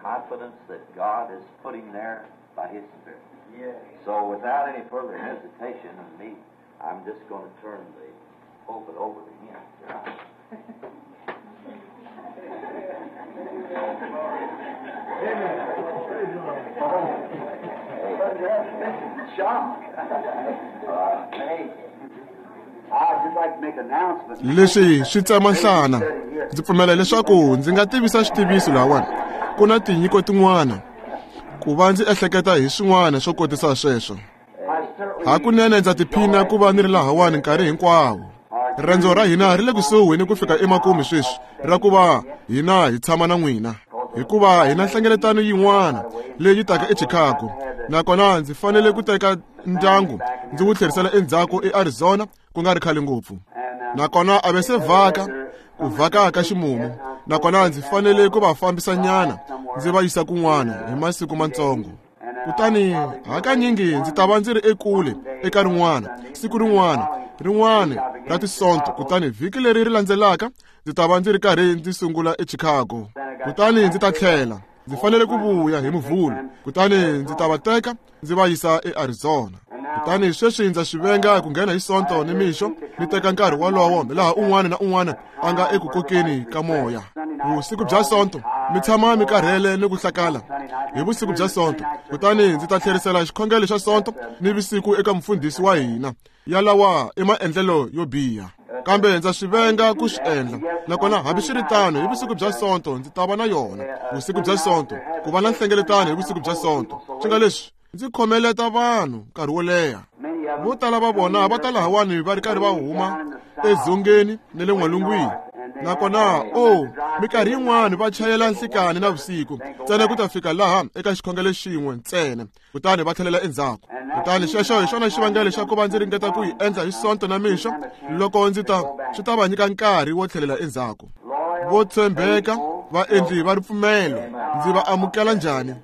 Confidence that God is putting there by His Spirit. So without any further hesitation of me, I'm just going to turn the pulpit over to him. Leswi swi tsema nhlana. Ndzi pfumela leswaku ndzi nga tivisa xitiviso lahawani. Ku na tinyiko tin'wana ku va ndzi ehleketa hi swin'wana swo kotisa sweswo. Hakunene ndza tiphina ku va ni ri lahawani nkarhi hinkwawo. Riendzo ra hina ri le kusuhi ni ku fika emakumu sweswi ra ku va hina hi tshama na n'wina, hikuva hi na nhlengeletano yin'wana leyi taka eChicago, nakona ndzi fanele ku teka ndyangu ndzi wu tlherisela endzhaku eArizona ku nga ri khale ngopfu. Nakona a va se vhaka ku vhaka ka ximumu, nakona ndzi fanele ku va fambisa nyana ndzi va yisa kun'wana hi masiku matsongo. Kutani hakanyingi ndzi ta va ndzi ri ekule eka rin'wana siku rin'wana rin'wana ra tisonto, kutani vhiki leri ri landzelaka ndzi ta va ndzi ri karhi ndzi sungula eChicago. Kutani ndzi ta tlhela ndzi fanele ku vuya hi Muvhulu, kutani ndzi ta va teka ndzi va yisa eArizona. Kutani sweswi ndza swi venga ku nghena hi Sonto ni mixo ni teka nkarhi wolowo laha un'wana na un'wana a nga eku kokeni ka moya. Vusiku bya Sonto mi tshama mi karhele ni ku hlakala hi vusiku bya Sonto, kutani ndzi ta tlherisela xikhongelo xa Sonto ni vusiku eka mufundhisi wa hina. Yalawa i maendlelo yo biha, kambe ndza swi venga ku swi endla. Nakona hambiswiritano hi vusiku bya Sonto ndzi ta va na yona vusiku bya Sonto ku va na nhlengeletano hi vusiku bya Sonto. Swi nga leswi ndzi khomeleta vanhu nkarhi wo leha. Vo tala va vona va ta lahawani va ri karhi va huma edzongeni ni le n'walungwini, nakona o minkarhi yin'wani va chayela nhlikani na vusiku ntsena ku ta fika laha eka xikhongelo xin'we ntsena, kutani va tlhelela endzhaku. Kutani xexo hi xona xivangelo xa ku va ndzi ringeta ku yi endla hi Sonto na mixo loko ndzi ta swi ta va nyika nkarhi wo tlhelela endzhaku. Vo tshembeka vaendli va ripfumelo ndzi va amukela njhani?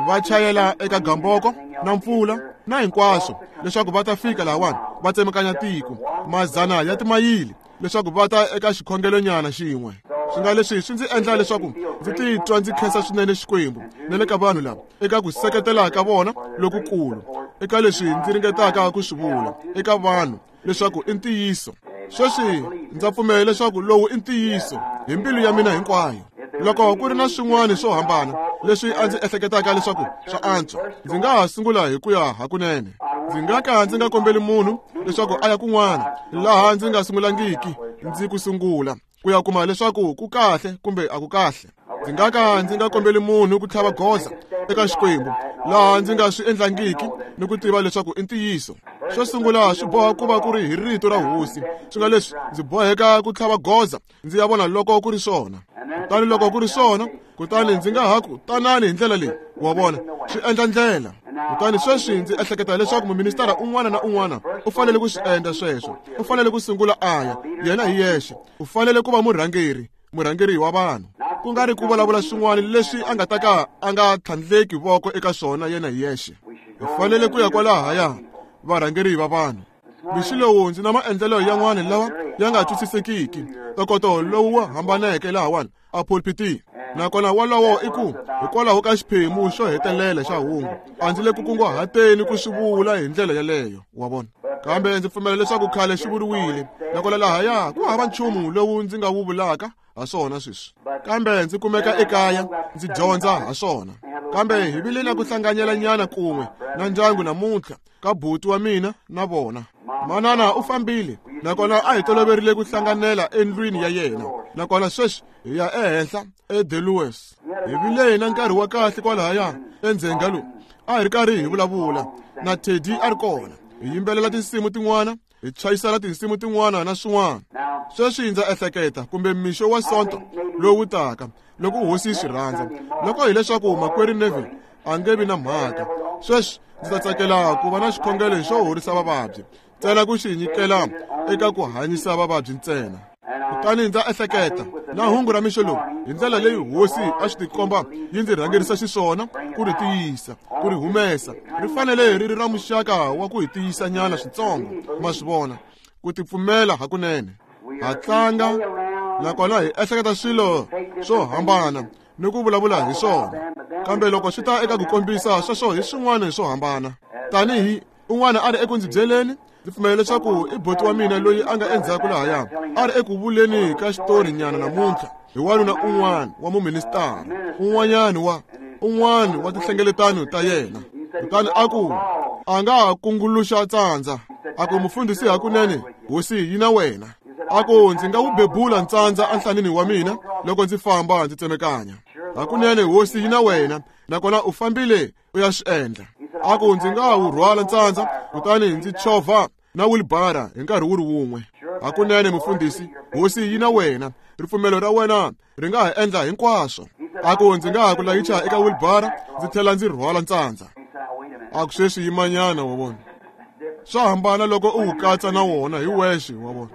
Va chayela eka gamboko na mpfula na hinkwaswo leswaku va ta fika lahawani va tsemakanya tiko mazana ya timayili leswaku va ta eka xikhongelonyana xin'we. Swi nga leswi swi ndzi endla leswaku ndzi titwa ndzi khensa swinene Xikwembu na le ka vanhu lava eka ku seketela ka vona lokukulu eka leswi ndzi ringetaka ku swi vula eka vanhu leswaku i ntiyiso. Sweswi ndza pfumela leswaku lowu i ntiyiso hi mbilu ya mina hinkwayo. Loko ku ri na swin'wana swo hambana leswi a ndzi ehleketaka leswaku swa antswa, ndzi nga ha sungula hi ku ya hakunene. Ndzi nga ka ndzi nga kombeli munhu leswaku a ya kun'wana laha ndzi nga sungulangiki ndzi ku sungula ku ya kuma leswaku ku kahle kumbe a ku kahle. Ndzi nga ka ndzi nga kombeli munhu ku tlhava goza eka Xikwembu laha ndzi nga swi endlangiki ni ku tiva leswaku i ntiyiso. Xo sungula swi boha ku va ku ri hi rito ra Hosi. Swi nga leswi ndzi boheka ku tlhava goza ndzi ya vona loko ku ri swona. Kutani loko ku ri swona, kutani ndzi nga ha ku tanani hi ndlela leyi, wa vona, swi endla ndlela. Kutani sweswi ndzi ehleketa leswaku muministara un'wana na un'wana u fanele ku swi endla sweswo. U fanele ku sungula a ya yena hi yexe. U fanele ku va murhangeri, murhangeri wa vanhu, ku nga ri ku vulavula swin'wana leswi a nga ta ka a nga tlhandleki voko eka swona yena hi yexe. Hi fanele ku ya kwalahaya varhangeri va vanhu. Mixo lowu ndzi na maendlelo yan'wana lawa ya nga twisisekiki, ntokoto lowu hambaneke lahawani a pulpitini. Nakona wolowo i ku hikwalaho ka xiphemu xo hetelela xa hungu a ndzi le ku kunguhateni ku swi vula hi ndlela yeleyo, wa vona. Kambe ndzi pfumela leswaku khale xi vuriwile, nakona lahaya ku hava nchumu lowu ndzi nga wu vulaka ha swona sweswi. Kambe ndzi kumeka ekaya ndzi dyondza ha swona. Kambe hi vile na ku hlanganyela nyana kun'we na ndyangu namuntlha ka buti wa mina na vona. Manana u fambile, nakona a hi toloverile ku hlanganela endlwini ya yena. Nakona sweswi hi ya ehenhla eDelues. Hi vile na nkarhi wa kahle kwalahaya endzhenga lowu. A hi ri karhi hi vulavula na Teddy a ri kona. Hi yimbelela tinsimu tin'wana, hi chayisela tinsimu tin'wana na swin'wana. Sweswi ndza ehleketa kumbe mixo wa Sonto lowu taka loko Hosi yi swi rhandza, loko hileswaku makwerhu Neville a nge vi na mhaka. Sweswi ndzi ta tsakela ku va na xikhongelo xo horisa vavabyi ntsena, ku xi nyikela eka ku hanyisa vavabyi ntsena. Kutani ndza ehleketa na hungu ra mixo lowu hi ndlela leyi Hosi a swi tikomba yi ndzi rhangerisa xiswona ku ri tiyisa, ku ri humesa. Ri fanele ri ri ra muxaka wa ku hi tiyisa nyana switsongo, ma swi vona, ku tipfumela hakunene. Ha tlanga nakona hi ehleketa swilo swo hambana. ni ku vulavula hi swona. Kambe loko swi ta eka ku kombisa sweswo hi swin'wana swo hambana. Tanihi un'wana a ri eku ndzi byeleni, ndzi pfumela leswaku i boti wa mina loyi a nga endzhaku lahaya, a ri eku vuleni ka xitori nyana namuntlha hi wanuna un'wana wa muministara, un'wanyana wa un'wana wa tinhlengeletano ta yena. Kutani a ku a nga ha kunguluxa tsandza, a ku mufundhisi hakunene hosi yi na wena. A ku ndzi nga wu bebula ntsandza enhlanini wa mina loko ndzi famba ndzi tsemekanya. Hakunene hosi yi na wena, nakona u fambile u ya swi endla. A ku ndzi nga wu rhwala ntsandza kutani ndzi chovha na wilibara hi nkarhi wu ri wun'we. Hakunene mufundhisi, hosi yi na wena, ripfumelo ra wena ri nga ha endla hinkwaswo. A ku ndzi nga ha ku layicha eka wilibara ndzi tlhela ndzi rhwala ntsandza. A ku sweswi yimanyana, wa vona. Swa hambana loko u wu katsa na wona hi wexe, wa vona.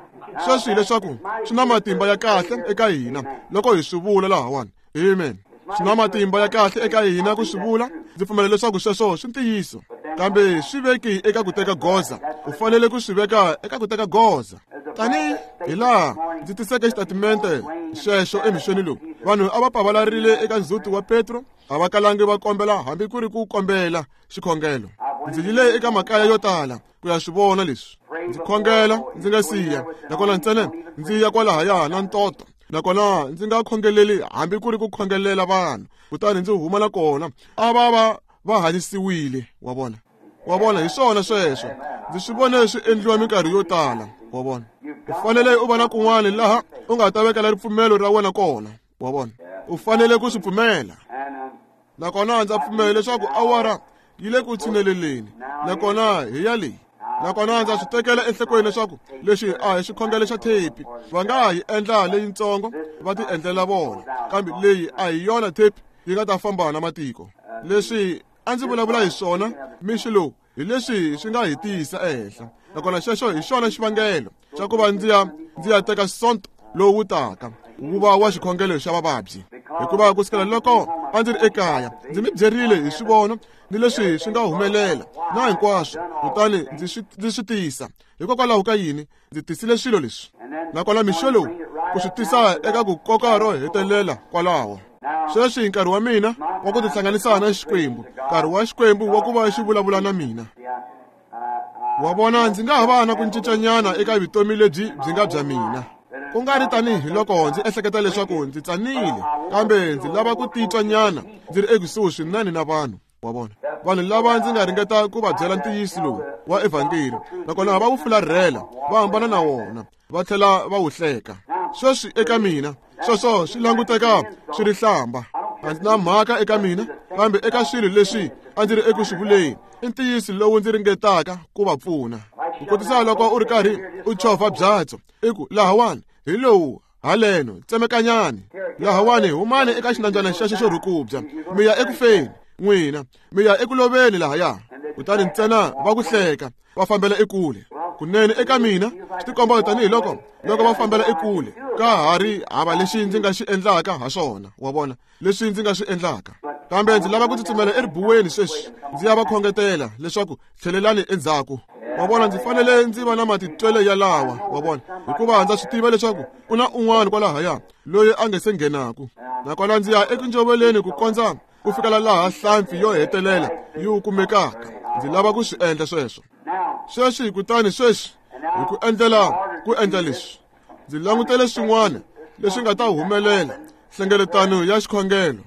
Sweswi hileswaku swi na matimba ya kahle eka hina loko hi swi vula lahawani. Amen. Swi na matimba ya kahle eka hina ku swi vula. Ndzi pfumela leswaku sweswo swi ntiyiso, kambe swi veki eka ku teka goza. U fanele ku swi veka eka ku teka goza. Tanihi hi laha ndzi tiseke xitatimente xexo emixweni lowu, vanhu a va pavalarile eka ndzhuti wa Petro, a va kalangi va kombela hambi ku ri ku kombela xikhongelo. Ndzi yile eka makaya yo tala ku ya swi vona leswi. Ndzi khongela ndzi nga siya, nakona ntsena ndzi ya kwalahaya na ntoto, nakona ndzi nga khongeleli hambi ku ri ku khongelela vanhu, kutani ndzi huma na kona a va va hanyisiwile, wa vona. Wa vona, hi swona sweswo. Ndzi swi vone swi endliwa minkarhi yo tala, wa vona. U fanele u va na kun'wana laha u nga ta vekela ripfumelo ra wena kona, wa vona. U fanele ku swi pfumela. Nakona ndza pfumela leswaku awara yi le ku tshineleleni, nakona hi ya leyi. Nakona ndza swi tekela enhlokweni leswaku lexi a hi xikhongelo xa thepi. Va nga ha yi endla leyitsongo va ti endlela vona, kambe leyi a hi yona thepi yi nga ta famba na matiko. Leswi a ndzi vulavula hi swona mixo lowu hi leswi swi nga hi tiyisa ehenhla, nakona xexo hi xona xivangelo xa ku va ndzi ya teka Sonto lowu wu taka wu va wa xikhongelo xa vavabyi. Hikuva ku sukela loko a ndzi ri ekaya ndzi mi byerile hi swivono ni leswi swi nga humelela na hinkwaswo, kutani ndzi swi tisa. Hikokwalaho ka yini ndzi tisile swilo leswi? Nakona mixo lowu ku swi tisa eka ku koka ro hetelela kwalaho. Sweswi nkarhi wa mina wa ku tihlanganisa na Xikwembu, nkarhi wa Xikwembu wa ku va xi vulavula na mina. Wa vona, ndzi nga ha va na ku cincanyana eka vutomi lebyi byi nga bya mina, ku nga ri tanihi loko ndzi ehleketa leswaku ndzi tsanile, kambe ndzi lava ku titwa nyana ndzi ri ekusuhi swinene na vanhu, wa vona. Vanhu lava ndzi nga ringeta ku va byela ntiyiso lowu wa evhangeli, nakona va wu fularhela, va hambana na wona, va tlhela va wu hleka. Sweswi eka mina sweswo swi languteka swi ri hlamba. A ndzi na mhaka eka mina, kambe eka swilo leswi a ndzi ri eku swi vuleni i ntiyiso lowu ndzi ringetaka ku va pfuna. Ku kotisa loko u ri karhi u chovha byatso, i ku lahawani hi lowu haleno tsemekanyani, lahawani humani eka xinambyana xexo xo rhukubya, mi ya ekufeni n'wina, mi ya eku loveni lahaya. Kutani ntsena va ku hleka, va fambela ekule. Kunene eka mina swi tikomba tanihi loko va fambela ekule, ka ha ri hava lexi ndzi nga xi endlaka ha swona, wa vona, leswi ndzi nga swi endlaka. Kambe ndzi lava ku tsutsumela eribuweni sweswi, ndzi ya va khongetela leswaku tlhelelani endzhaku. Wa vona, ndzi fanele ndzi va na matitwelo yalawa, wa vona, hikuva ndza swi tiva leswaku ku na un'wana kwalahaya loyi a nga se nghenaku. Nakona ndzi ya eku njoveleni ku kondza ku fikela laha hlampfi yo hetelela yi wu kumekaka. Ndzi lava ku swi endla sweswo. Sweswi kutani sweswi hi ku endlela ku endla leswi, ndzi langutele swin'wana leswi nga ta humelela, nhlengeletano ya xikhongelo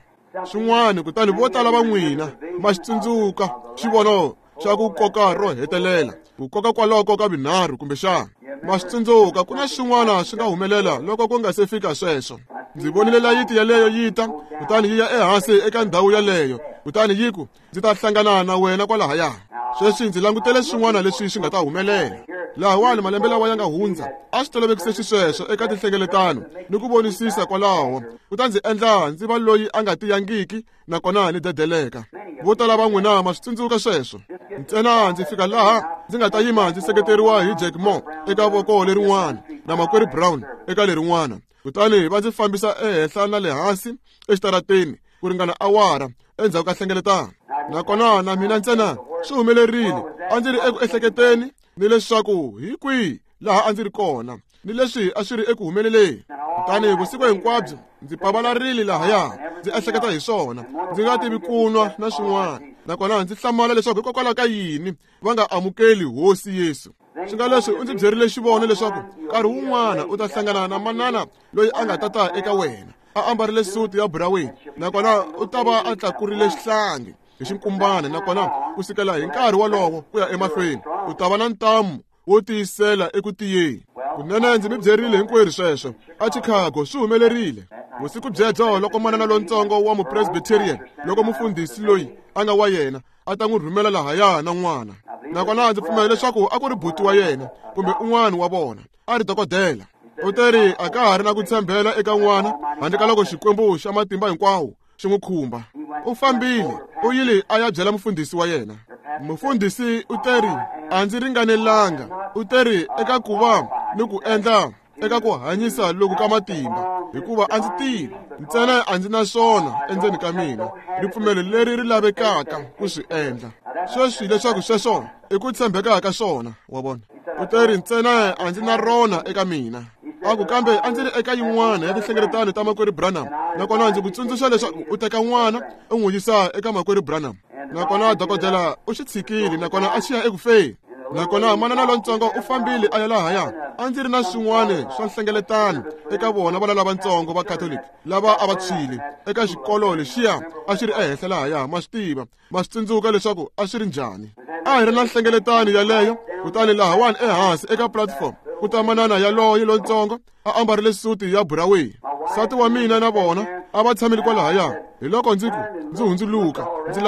swin'wana. Kutani vo tala va n'wina ma xi tsundzuka xivono xa ku koka ro hetelela, ku koka kwaloko ka vinharhu kumbexana ma swi tsundzuka. Ku na swin'wana swi nga humelela loko ku nga se fika sweswo. Ndzi vonile layiti yaleyo yi ta, kutani yi ya ehansi eka ndhawu yaleyo, kutani yi ku ndzi ta hlangana na wena kwalahaya. Sweswi ndzi langutele swin'wana leswi swi nga ta humelela. Lahawani malembe lawa ya nga hundza a swi tolovekise xisweswo eka tinhlengeletano ni ku vonisisa kwalaho, ku ta ndzi endla ndzi va loyi a nga tiyangiki nakona ni dedeleka. Vo tala va n'wina ma swi tsundzuka sweswo. Ntsena ndzi fika laha ndzi nga ta yima ndzi seketeriwa hi Jack Moore eka voko lerin'wana na Makwerhu Brown eka lerin'wana, kutani va ndzi fambisa ehenhla na le hansi exitarateni ku ringana awara endzhaku ka nhlengeletano. Nakona na mina ntsena swi humelerile, a ndzi ri eku ehleketeni ni leswaku hi kwihi laha a ndzi ri kona. ni leswi a swi ri eku humeleleni. Kutani vusiku hinkwabyo ndzi pavalarile lahaya, ndzi ehleketa hi swona, ndzi nga tivi ku nwa na swin'wana. Nakona ndzi hlamala leswaku hikokwalaho ka yini va nga amukeli Hosi Yesu. Swi nga leswi u ndzi byerile xivono leswaku nkarhi wun'wana u ta hlangana na manana loyi a nga ta ta eka wena a ambarile suti ya buraweni, nakona u ta va a tlakurile xihlangi hi xinkumbana, nakona ku sukela hi nkarhi wolowo ku ya emahlweni u ta va na ntamu wo tiyisela eku tiyeni. Kunene ndzi mi byerile hinkwerhu sweswo a Chicago swi humelerile vusiku byebyo loko manana lontsongo wa mupresbyterian, loko mufundhisi loyi a nga wa yena a ta n'wi rhumela lahaya na n'wana. Nakona ndzi pfumela leswaku a ku ri buti wa yena kumbe un'wana wa vona a ri dokodela. U teri a ka ha ri na ku tshembela eka n'wana handle ka loko Xikwembu xa matimba hinkwawo xi n'wi khumba. U fambile u yile a ya byela mufundhisi wa yena. Mufundhisi u teri a ndzi ringanelanga, u teri eka ku va ni ku endla eka ku hanyisa loku ka matimba, hikuva a ndzi tivi ntsena a ndzi na swona endzeni ka mina ripfumelo leri ri lavekaka ku swi endla. Sweswi leswaku sweswo i ku tshembeka ka swona, wa vona. U teri ntsena a ndzi na rona eka mina. A ku kambe a ndzi ri eka yin'wana ya tinhlengeletano ta makwerhu Branham, nakona ndzi ku tsundzuxa leswaku u teka n'wana u n'wi yisa eka makwerhu Branham. Nakona dokodela u xi tshikile, nakona a xi ya eku feni. Nakona manana lontsongo u fambile a ya lahaya. A ndzi ri na swin'wana swa nhlengeletano eka vona vana lavatsongo va Catholic lava a va tshwile eka xikolo lexiya a xi ri ehenhla lahaya. Ma swi tiva, ma swi tsundzuka leswaku a swi ri njhani. A hi ri na nhlengeletano yaleyo, kutani lahawani ehansi eka platform ku ta manana yaloye lontsongo a ambarile suti ya buraweni. Nsati wa mina na vona a va tshamile kwalahaya. Hi loko ndzi ku ndzi hundzuluka ndzi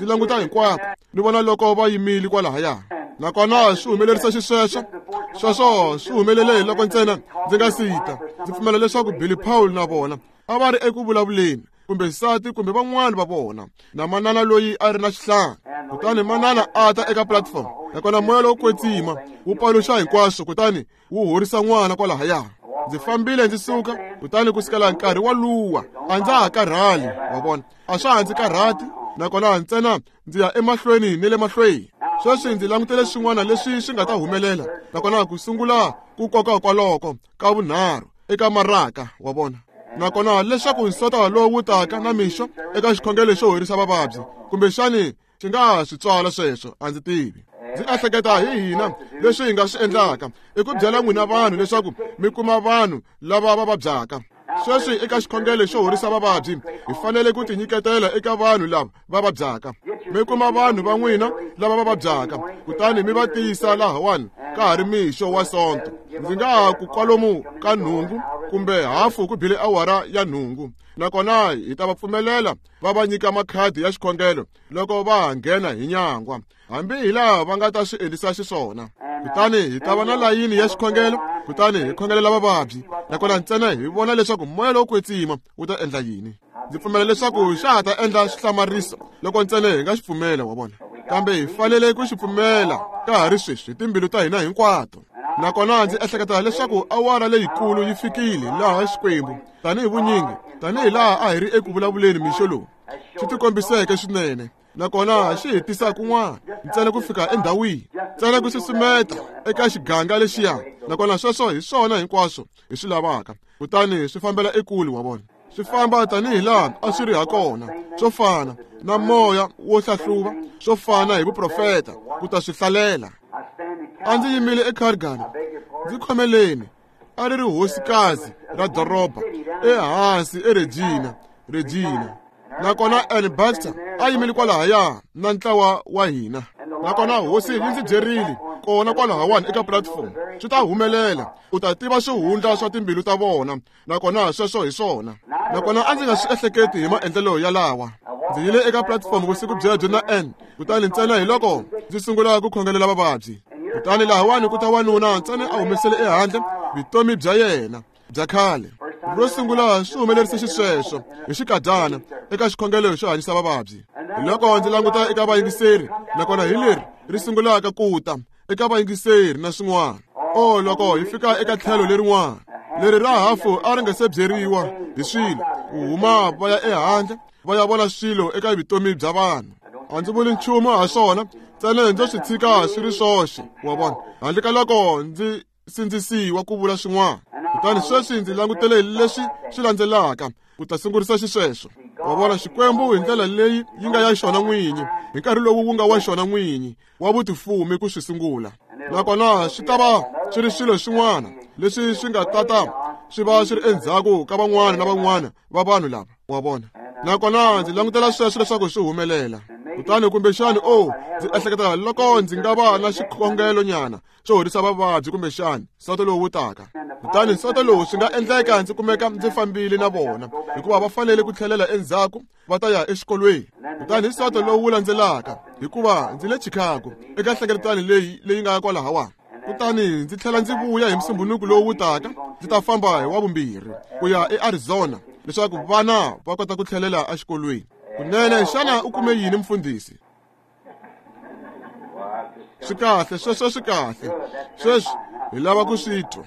languta hinkwako ni vona loko va yimile kwalahaya. Nakona swi humelerisa xisweswo, sweswo swi humelele hi loko ntsena ndzi nga sita. Ndzi pfumela leswaku Billy Paul na vona a va ri eku vulavuleni, kumbe nsati kumbe van'wana va vona, na manana loyi a ri na xihlangi. Kutani manana a ta eka platform, nakona moya lowo kwetsima wu paluxa hinkwaswo, kutani wu horisa n'wana kwalahaya. Ndzi fambile ndzi suka, kutani ku sukela nkarhi waluwa a ndza ha karhali, wa vona, a swa ha ndzi karhati, nakona ntsena ndzi ya emahlweni ni le mahlweni. Sweswi ndzi langutele swin'wana leswi swi nga ta humelela, nakona ku sungula ku koka kwaloko ka vunharhu eka maraka, wa vona. Nakona leswaku nsota lowu wu taka na mixo eka xikhongelo xo horisa vavabyi, kumbexani xi nga swi tswala sweswo, a ndzi tivi. Ndzi ehleketa hi hina leswi hi nga swi endlaka i ku byela n'wina vanhu leswaku mi kuma vanhu lava va vabyaka. Sweswi eka xikhongelo xo horisa vavabyi hi fanele ku tinyiketela eka vanhu lava va vabyaka. Mi kuma vanhu va n'wina lava va vabyaka, kutani mi va tiyisa lahawani ka ha ri mixo wa Sonto. Ndzi nga ha ku kwalomu ka 8 kumbe hafu ku bile awara ya 8, nakona hi ta va pfumelela va va nyika makhadi ya xikhongelo loko va ha nghena hi nyangwa, hambi hi laha va nga ta swi endlisa xiswona. Kutani hi ta va na layini ya xikhongelo, kutani hi khongelela vavabyi, nakona ntsena hi vona leswaku moya lowo kwetsima wu ta endla yini. Ndzi pfumela leswaku xa ha ta endla xihlamariso loko ntsena hi nga xi pfumela, wa vona. Kambe hi fanele ku xi pfumela ka ha ri sweswi hi timbilu ta hina hinkwato. Nakona ndzi ehleketa leswaku awara leyikulu yi fikile laha Xikwembu tanihi vunyingi, tanihi laha a hi ri eku vulavuleni mixo lowu, xi tikombiseke swinene, nakona xi hi tisa kun'wana ntsena ku fika endhawini, ntsena ku susumeta eka xiganga lexiya. Nakona sweswo hi swona hinkwaswo hi swi lavaka, kutani swi fambela ekule, wa vona. Swi famba tanihi laha a swi ri ha kona, swo fana na moya wo hlahluva, swo fana hi vuprofeta ku ta swi hlalela. A ndzi yimile eCalgary, ndzi khomeleni, a ri ri hosikazi ra doroba ehansi eRegina, Regina. Nakona Ann Baxter a yimile kwalahaya na ntlawa wa hina. Nakona hosi yi ndzi byerile kona kwalahawani eka platform, swi ta humelela, u ta tiva swihundla swa timbilu ta vona, nakona sweswo hi swona. Nakona a ndzi nga swi ehleketi hi maendlelo yalawa. Ndzi yile eka platform vusiku byebyo na Ann, kutani ntsena hi loko ndzi sungula ku khongelela vavabyi. Kutani lahawani ku ta wanuna ntsena a humesele ehandle vutomi bya yena bya khale. Ro sungula swi humelerise xisweswo hi xikadyana eka xikhongelo xo hanyisa vavabyi. Hi loko ndzi languta eka vayingiseri, nakona hi leri ri sungulaka ku ta eka vayingiseri na swin'wana. O loko hi fika eka tlhelo lerin'wana, leri ra hafu a ri nga se byeriwa hi swilo, ku huma va ya ehandle va ya vona swilo eka vutomi bya vanhu. A ndzi vuli nchumu ha swona, ntsena ndzo swi tshika swi ri swoxe, wa vona, handle ka loko ndzi sindzisiwa ku vula swin'wana. Kutani sweswi ndzi langutele leswi swi landzelaka ku ta sungurisa xisweswo. Wa vona, Xikwembu hi ndlela leyi yi nga ya xona n'winyi, hi nkarhi lowu wu nga wa xona n'winyi wa vutifumi ku swi sungula. Nakona swi ta va swi ri swilo swin'wana leswi swi nga tata swi va swi ri endzhaku ka van'wana na van'wana va vanhu lava, wa vona. Nakona ndzi langutela sweswo leswaku swi humelela. Kutani kumbexani, ndzi ehleketa loko ndzi nga va na xikhongelo nyana xo horisa vavabyi kumbexani nsoto lowu wu taka. Kutani nsoto lowu swi nga endleka ndzi kumeka ndzi fambile na vona, hikuva va fanele ku tlhelela endzhaku va ta ya exikolweni. Kutani nsoto lowu wu landzelaka, hikuva ndzi le Chicago eka nhlengeletano leyi nga kwalahawani. Kutani ndzi tlhela ndzi vuya hi Musumbunuku lowu wu taka, ndzi ta famba hi Wavumbirhi ku ya eArizona leswaku vana va kota ku tlhelela exikolweni. Kunene, xana u kume yini, mfundhisi? Swi kahle, sweswo swi kahle. Sweswi hi lava ku swi twa.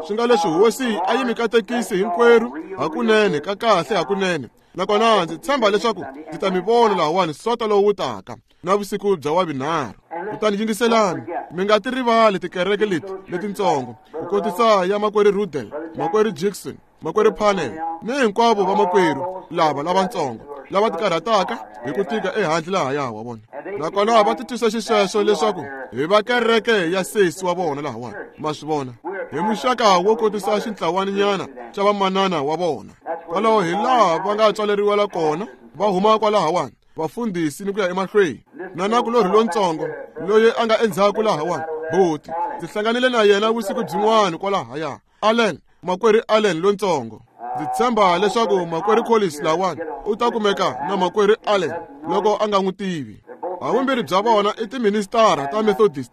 Swi nga leswi Hosi a yi mi katekisi hinkwerhu hakunene, ka kahle hakunene. Nakona ndzi tshemba leswaku ndzi ta mi vona lahawani sonto lowu wu taka na vusiku bya Wavunharhu. Kutani yingiselani, mi nga ti rivali tikereke leti letintsongo, ku kotisa ya makwerhu Rudel, makwerhu Jackson, makwerhu Panel, ni hinkwavo vamakwerhu lava lavatsongo lava tikarhataka hi ku tika ehandle lahaya, wa vona. Nakona va titwisa xisweswo leswaku hi va kereke ya sesi wa vona lahawani, ma swi vona, hi muxaka wo kotisa xintlawaninyana xa vamanana wa vona. Kwalaho hi laha va nga tswaleriwela kona, va huma kwalahawani, vafundhisi ni ku ya emahlweni. Na nakulorhi lontsongo loyi a nga endzhaku lahawani, boti, ndzi hlanganile na yena vusiku byin'wana kwalahaya, Allen, makwerhu Allen lontsongo. Ndzi tshemba leswaku makwerhu Collins lawani u ta kumeka na makwerhu Allen loko a nga n'wi tivi. Havumbirhi bya vona i tiministara ta Methodist,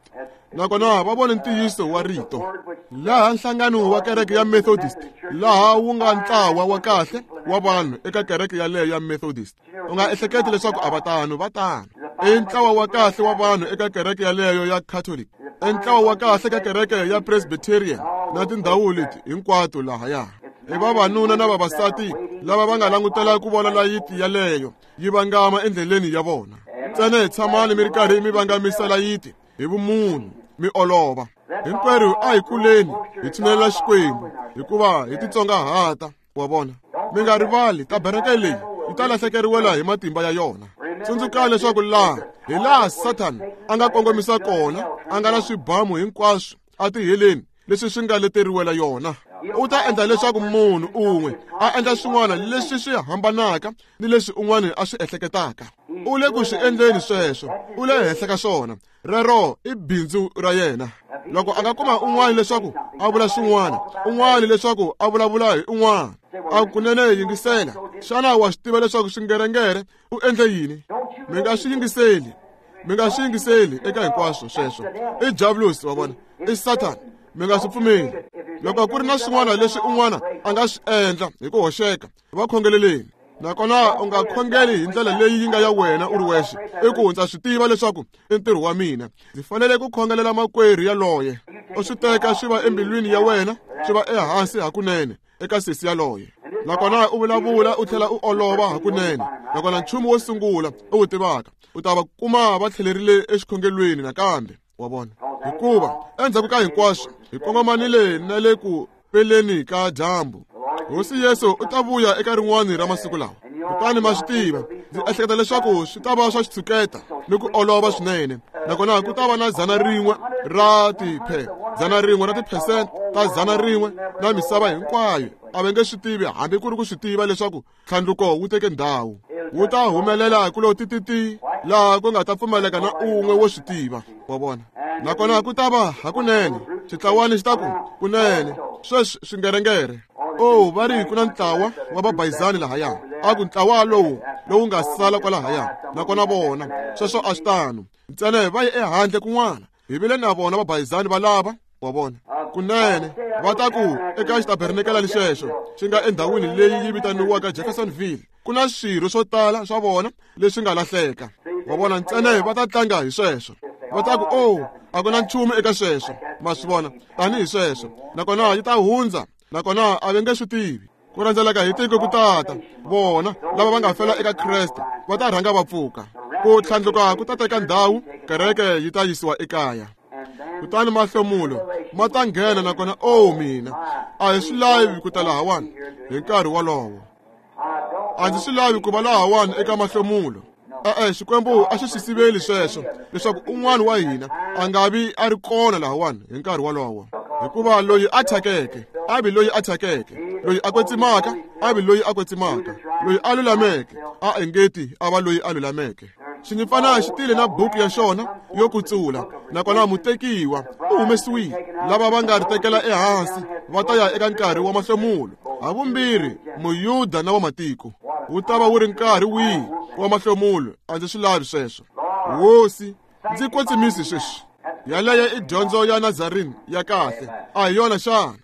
nakona va vone ntiyiso wa rito. Laha nhlangano wa kereke ya Methodist, laha wu nga ntlawa wa kahle wa vanhu eka kereke yaleyo ya Methodist. U nga ehleketi leswaku a va tano, va tano. I ntlawa wa kahle wa vanhu eka kereke yaleyo ya Catholic, i ntlawa wa kahle ka kereke ya Presbyterian na tindhawu leti hinkwato lahaya. I vavanuna na vavasati lava va nga langutela ku vona layiti yaleyo yi vangama endleleni ya vona. Ntsena hi tshamani mi ri karhi mi vangamisa layiti hi vumunhu, mi olova. Hinkwerhu a hi kuleni hi tshinelela Xikwembu, hikuva hi titsongahata, wa vona. Mi nga rivali tabereke leyi yi ta lahlekeriwela hi matimba ya yona. Tsundzukani leswaku laha hi laha Satan a nga kongomisa kona, a nga na swibamu hinkwaswo atiheleni leswi swi nga leteriwela yona. U ta endla leswaku munhu un'we a endla swin'wana leswi swi hambanaka ni leswi un'wana a swi ehleketaka. U le ku swi endleni sweswo, u le henhla ka swona. Rero i bindzu ra yena. Loko a nga kuma un'wana leswaku a vula swin'wana, un'wana leswaku a vulavula hi un'wana, a kunene yingisela. Xana wa swi tiva leswaku swingerengere u endle yini? Mi nga swi yingiseli, mi nga swi yingiseli eka hinkwaswo sweswo. I Diablos, wa vona, i Satan. Mi nga swi pfumeli. Loko ku ri na swin'wana leswi un'wana a nga swi endla hi ku hoxeka, va khongeleleni. Nakona u nga khongeli hi ndlela leyi yi nga ya wena u ri wexe, i ku ndza swi tiva leswaku i ntirho wa mina, ndzi fanele ku khongelela makwerhu yaloye. U swi teka swi va embilwini ya wena, swi va ehansi hakunene eka sesi yaloye. Nakona u vulavula u tlhela u olova hakunene. Nakona nchumu wo sungula u wu tivaka, u ta va kuma va tlhelerile exikhongelweni nakambe, wa vona. Hikuva endzhaku ka hinkwaswo hi kongomanile na le ku peleni ka dyambu. Hosi Yesu u ta vuya eka rin'wana ra masiku lawa. Kutani ma swi tiva, ndzi ehleketa leswaku swi ta va swa xitshuketa ni ku olova swinene. Nakona ku ta va na 100 ra 100 ra tiphesente ta 100 na misava hinkwayo. A va nge swi tivi hambi ku ri ku swi tiva leswaku ntlhandluko wu teke ndhawu. Wu ta humelela ku lo tititi laha ku nga ta pfumaleka na un'we wo swi tiva, wa vona. Nakona ku ta va hakunene xitlawani xi ta ku kunene sweswi swingerengere. Va ri ku na ntlawa wa vabayizani lahaya. A ku ntlawa lowu nga sala kwalahaya. Nakona vona sweswo a swi tano. Ntsena va ye ehandle kun'wana. Hi vile na vona vabayizani va lava, wa vona. Kunene va ta ku eka xitabernakel lexexo xi nga endhawini leyi yi vitaniwaka Jeffersonville, ku na swirho swo tala swa vona leswi nga lahleka, wa vona. Ntsena va ta tlanga hi sweswo. Va ta ku, a ku na nchumu eka sweswo, ma swi vona, tanihi sweswo. Nakona yi ta hundza, nakona a va nge swi tivi. Ku rhendzeleka hi tiko ku tata, vona lava va nga fela eka Kreste va ta rhanga va pfuka. Ku tlhandluka ku ta teka ndhawu, kereke yi ta yisiwa ekaya. Kutani mahlomulo Ma ta nghena nakona o mina a hi swi lavi ku ta lahawani hi nkarhi wolowo. A ndzi swi lavi ku va lahawani eka mahlomulo. E-e, Xikwembu a xi swi siveli sweswo leswaku un'wana wa hina a nga vi a ri kona lahawani hi nkarhi wolowo. Hikuva loyi a thyakeke a vi loyi a thyakeke, loyi a kwetsimaka a vi loyi a kwetsimaka, loyi a lulameke a engeti a va loyi a lulameke. Xinyimpfana xi tile na buku ya xona yo kutsula, nakona mutekiwa u humesiwile. Lava va nga ri tekela ehansi va ta ya eka nkarhi wa mahlomulo, havumbirhi Muyuda na wamatiko. Wu ta va wu ri nkarhi wihi wa mahlomulo? A ndzi swi lavi sweswo. Hosi, ndzi kwetsimisi sweswi. Yaleyo i dyondzo ya Nazarene ya kahle, a hi yona xana?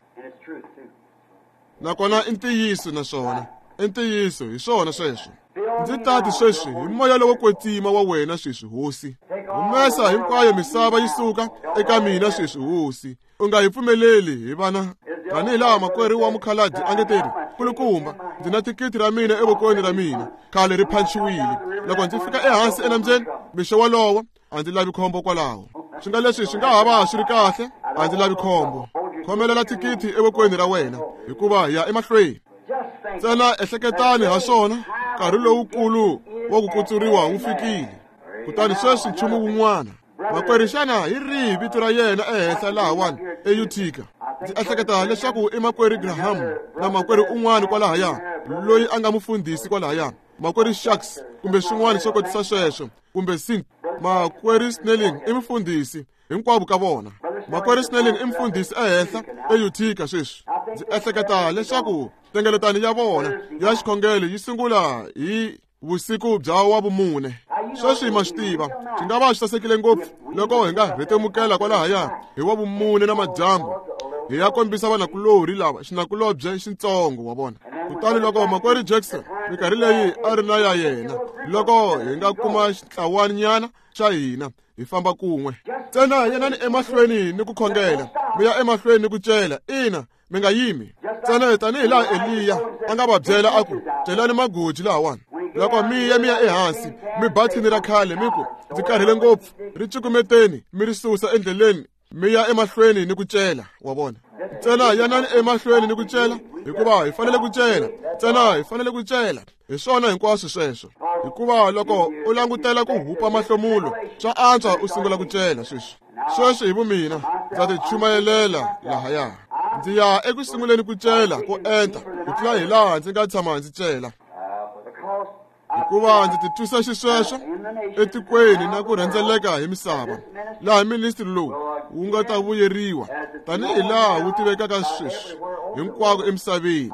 Nakona i ntiyiso naswona i ntiyiso, hi swona sweswo. Ndzi tati sweswi hi moya lowo kwetsima wa wena sweswi, Hosi. Humesa hinkwayo misava yi suka eka mina sweswi, Hosi. U nga hi pfumeleli hi vana tanihi laha makwerhu wa mukhalabye a nge teri, kulukumba, ndzi na thikithi ra mina evokweni ra mina, khale ri phanchiwile. Loko ndzi fika ehansi enambyeni mixo wolowo, a ndzi lavi khombo kwalaho. Swi nga leswi swi nga ha va swi ri kahle, a ndzi lavi khombo. Khomelela thikithi evokweni ra wena, hikuva hi ya emahlweni. Ntsena ehleketani ha swona, nkarhi lowukulu wa ku kutsuriwa wu fikile. Kutani sweswi nchumu wun'wana. Makwerhu, xana hi rihi vito ra yena ehenhla lahawani eUtica? Ndzi ehleketa leswaku i makwerhu Graham na makwerhu un'wana kwalahaya loyi a nga mufundhisi kwalahaya, makwerhu Sharks kumbe swin'wana swo kotisa sweswo, kumbe Sink. Makwerhu Snelling i mufundhisi hinkwavo ka vona. Makwerhu Snelling i mufundhisi ehenhla eUtica sweswi. Ndzi ehleketa leswaku nhlengeletano ya vona ya xikhongelo yi sungula hi vusiku bya wa vumune. Sweswi ma swi tiva, swi nga va swi sasekile ngopfu loko hi nga rhetemukela kwalahaya hi wa vumune na madyambu, hi ya kombisa vanakulorhi lava xinakulobye xitsongo wa vona. Kutani loko makwerhu Jackson minkarhi leyi a ri na ya yena, loko hi nga kuma xitlawanyana xa hina hi famba kun'we. Ntsena yanani emahlweni ni ku khongela, mi ya emahlweni ni ku cela. Ina, mi nga yimi. Ntsena tanihi laha Eliya a nga va byela a ku, celani magoji lahawani. Loko mi ya ehansi, mi ba thini ra khale mi ku, ndzi karhele ngopfu, ri cukumeteni mi ri susa endleleni, mi ya emahlweni ni ku cela. Wa vona? Ntsena yanani emahlweni ni ku cela, hikuva hi fanele ku cela. Ntsena hi fanele ku cela. Hi swona hinkwaswo sweswo. Hikuva loko u langutela ku hupa mahlomulo, swa antswa u sungula ku cela sweswi. Sweswi hi vumina ndza ti chumayelela lahaya. Ndzi ya eku sunguleni ku cela ko enta ku tlula hi laha ndzi nga tshama ndzi cela. Hikuva ndzi titwisa xisweswo etikweni na ku rhendzeleka hi misava, laha ministri lowu wu nga ta vuyeriwa tanihi laha wu tivekaka sweswi hinkwako emisaveni.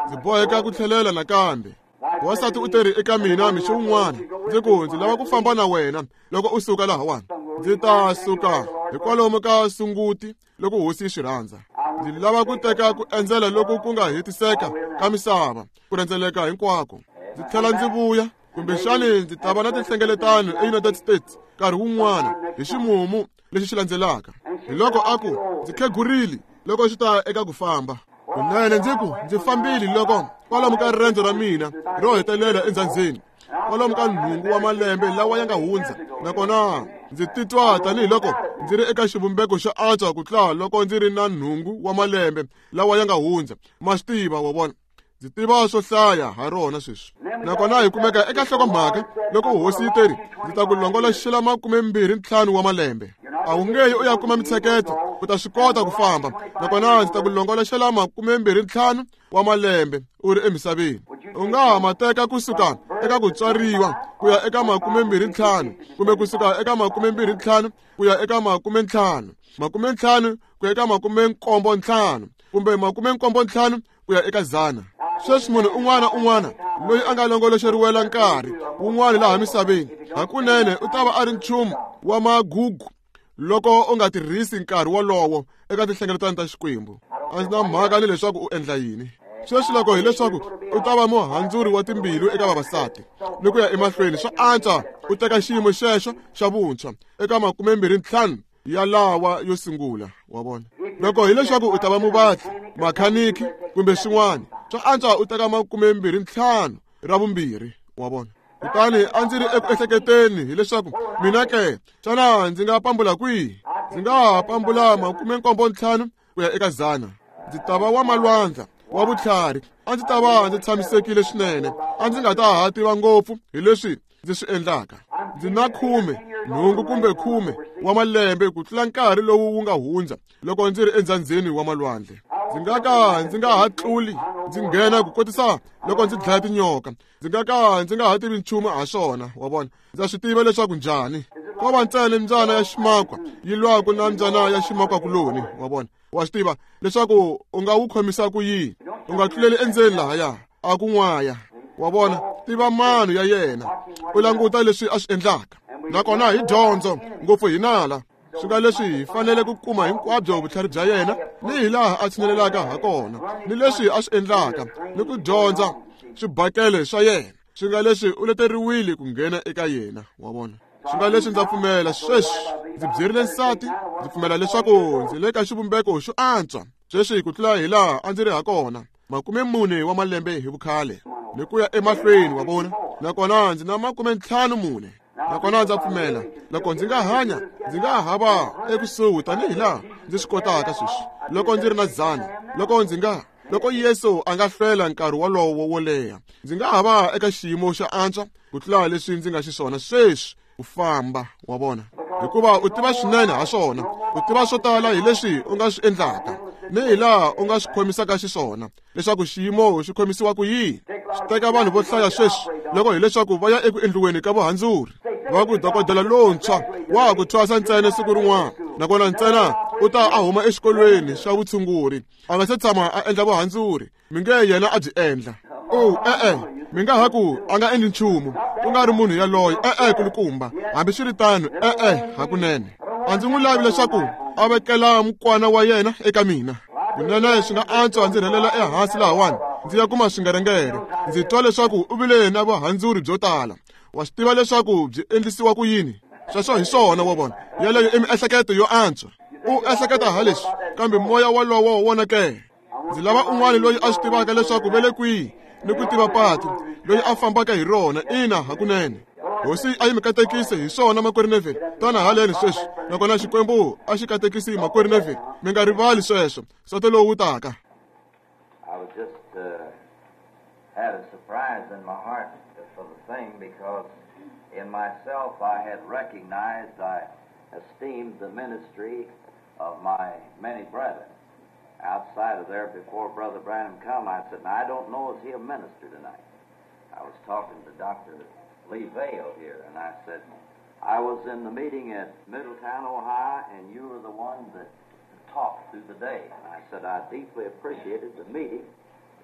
Ndzi boheka ku tlhelela nakambe. Wansati u teri eka mina mixo wun'wana, ndzi ku ndzi lava ku famba na wena loko u suka lahawani. Ndzi ta suka hikwalomu ka Sunguti loko Hosi yi swi rhandza. Ndzi lava ku teka ku endzela loku ku nga hetiseka ka misava, ku rhendzeleka hinkwako. Ndzi tlhela ndzi vuya, kumbexani ndzi ta va na tinhlengeletano eUnited States nkarhi wun'wana hi ximumu lexi xi landzelaka. Hi loko a ku, ndzi khegurile loko swi ta eka ku famba. Kunene ndzi ku, ndzi fambile loko kwalomu ka riendzo ra mina ro hetelela endzhandzeni, kwalomu ka 8 wa malembe lawa ya nga hundza, nakona ndzi titwa tanihiloko ndzi ri eka xivumbeko xo antswa ku tlula loko ndzi ri na 8 wa malembe lawa ya nga hundza. Ma swi tiva, wa vona, ndzi tiva swo hlaya ha rona sweswi. Nakona hi kumeka eka nhlokomhaka loko Hosi yi teri, ndzi ta ku longoloxela 25 wa malembe. A wu nge yi u ya kuma mitsheketo, u ta swi kota ku famba. Nakona ndzi ta ku longoloxela 25 wa malembe u ri emisaveni. U nga ha ma teka kusuka eka ku tswariwa ku ya eka 25, kumbe kusuka eka 25 ku ya eka 50, 50 ku ya eka 75, kumbe 75 ku ya eka 100. Sweswi munhu un'wana un'wana loyi a nga longoloxeriwela nkarhi wun'wana laha misaveni, hakunene u ta va a ri nchumu wa magugu loko u nga tirhisi nkarhi wolowo eka tinhlengeletano ta Xikwembu. A ndzi na mhaka ni leswaku u endla yini. Sweswi loko hileswaku u ta va muhandzuri wa timbilu eka vavasati ni ku ya emahlweni, swa antswa u teka xiyimo xexo xa vuntshwa eka 25 ya lawa yo sungula. Wa vona? Loko hileswaku u ta va muvatli, makhaniki kumbe swin'wana, swa antswa u teka 25 ra vumbirhi. Wa vona? Kutani a ndzi ri eku ehleketeni hileswaku mina ke, xana ndzi nga pambula kwihi? Ndzi nga ha pambula 75 ku ya eka 100. Ndzi ta va wa malwandla wa vutlhari. A ndzi ta va ndzi tshamisekile swinene. A ndzi nga ta ha tiva ngopfu hi leswi ndzi swi endlaka. Ndzi na 18 kumbe 10 wa malembe ku tlula nkarhi lowu wu nga hundza loko ndzi ri endzandzeni wa malwandle. Ndzi nga ka ndzi nga ha tluli ndzi nghena ku kotisa loko ndzi dlaya tinyoka. Ndzi nga ka ndzi nga ha tivi nchumu ha swona, wa vona. Ndza swi tiva leswaku njhani. Ko va ntsena mbyana ya ximakwa yi lwaka na mbyana ya ximakwa kuloni, wa vona. Wa swi tiva leswaku u nga wu khomisa ku yini. U nga tluleli endzeni lahaya a ku n'waya, wa vona. Tiva mano ya yena, u languta leswi a swi endlaka. Nakona hi dyondzo ngopfu hi nala. Swi nga leswi hi fanele ku kuma hinkwabyo vutlhari bya yena ni hi laha a tshinelelaka ha kona ni leswi a swi endlaka ni ku dyondza swibakele swa yena. Swi nga leswi u leteriwile ku nghena eka yena, wa vona. Swi nga leswi ndza pfumela sweswi. Ndzi byerile nsati, ndzi pfumela leswaku ndzi le ka xivumbeko xo antswa sweswi ku tlula hi laha a ndzi ri ha kona 40 wa malembe hi vukhale ni ku ya emahlweni, wa vona. Nakona ndzi na 54. Nakona ndza pfumela loko ndzi nga hanya ndzi nga ha va ekusuhi tanihi laha ndzi swi kotaka sweswi loko ndzi ri na 100. Loko Yesu a nga hlwela nkarhi wolowo wo leha, ndzi nga ha va eka xiyimo xa antswa ku tlula leswi ndzi nga xiswona sweswi ku famba, wa vona. Hikuva u tiva swinene ha swona, u tiva swo tala hi leswi u nga swi endlaka ni hi laha u nga swi khomisaka xiswona leswaku xiyimo xi khomisiwa ku yini. Swi teka vanhu vo hlaya sweswi loko hileswaku va ya eku endliweni ka vuhandzuri, va ku dokodela lontshwa wa ha ku thwasa ntsena siku rin'wana, nakona ntsena u ta a huma exikolweni xa vutshunguri, a nga se tshama a endla vuhandzuri. Mi nge yena a byi endla. E-e, mi nga ha ku a nga endli nchumu, ku nga ri munhu yaloye. E-e, kulukumba. Hambiswiritano, e-e, hakunene. A ndzi n'wi lavi leswaku a vekela mukwana wa yena eka mina. Kunene swi nga antswa ndzi rhelela ehansi lahawani ndzi ya kuma swingerengere. Ndzi twa leswaku u vile na vuhandzuri byo tala. Wa swi tiva leswaku byi endlisiwa ku yini? Sweswo hi swona, wa vona. Yeleyo i miehleketo yo antswa. U ehleketa ha leswi, kambe moya wolowo wona ke. Ndzi lava un'wana loyi a swi tivaka leswaku ve le kwihi ni ku tiva patu, loyi a fambaka hi rona. Ina, hakunene. Hosi a yi mi katekise hi swona, makwerhu Neville. Tana haleni sweswi. Nakona Xikwembu a xi katekisi makwerhu Neville. Mi nga rivali sweswo. Soto lowu taka. I was just had a surprise in my heart for the thing, because in myself I had recognized, I esteemed the ministry of my many brethren. Outside of there, before Brother Branham come, I said, now, I don't know, is he a minister tonight? I was talking to Dr. Lee Vayle here, and I said, I was in the meeting at Middletown, Ohio, and you were the one that talked through the day. And I said, I deeply appreciated the meeting,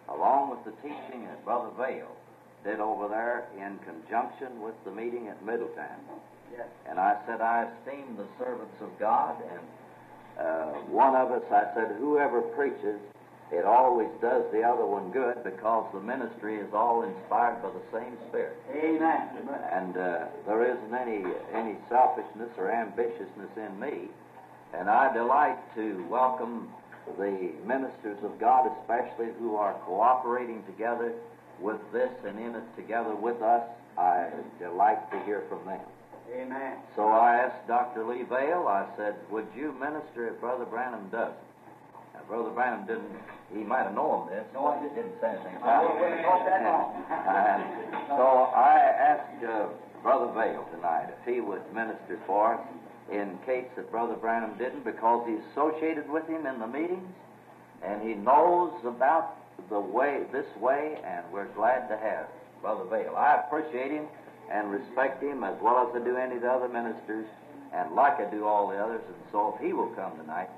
along with the teaching that Brother Vayle did over there in conjunction with the meeting at Middletown. Yes. And I said, I esteem the servants of God, and one of us, I said, whoever preaches, it always does the other one good, because the ministry is all inspired by the same Spirit. Amen. And there isn't any selfishness or ambitiousness in me. And I delight to welcome the ministers of God, especially who are cooperating together with this and in it together with us. I delight to hear from them. Amen. So I asked Dr. Lee Vayle, I said, would you minister if Brother Branham doesn't? Now, Brother Branham didn't, he might have known this, No, I but he didn't say anything I about wouldn't it. have thought that long. And so I asked Brother Vayle tonight if he would minister for us in case that Brother Branham didn't, because he's associated with him in the meetings, and he knows about the way, this way, and we're glad to have Brother Vayle. I appreciate him and respect him as well as I do any of the other ministers, and like I do all the others, and so if he will come tonight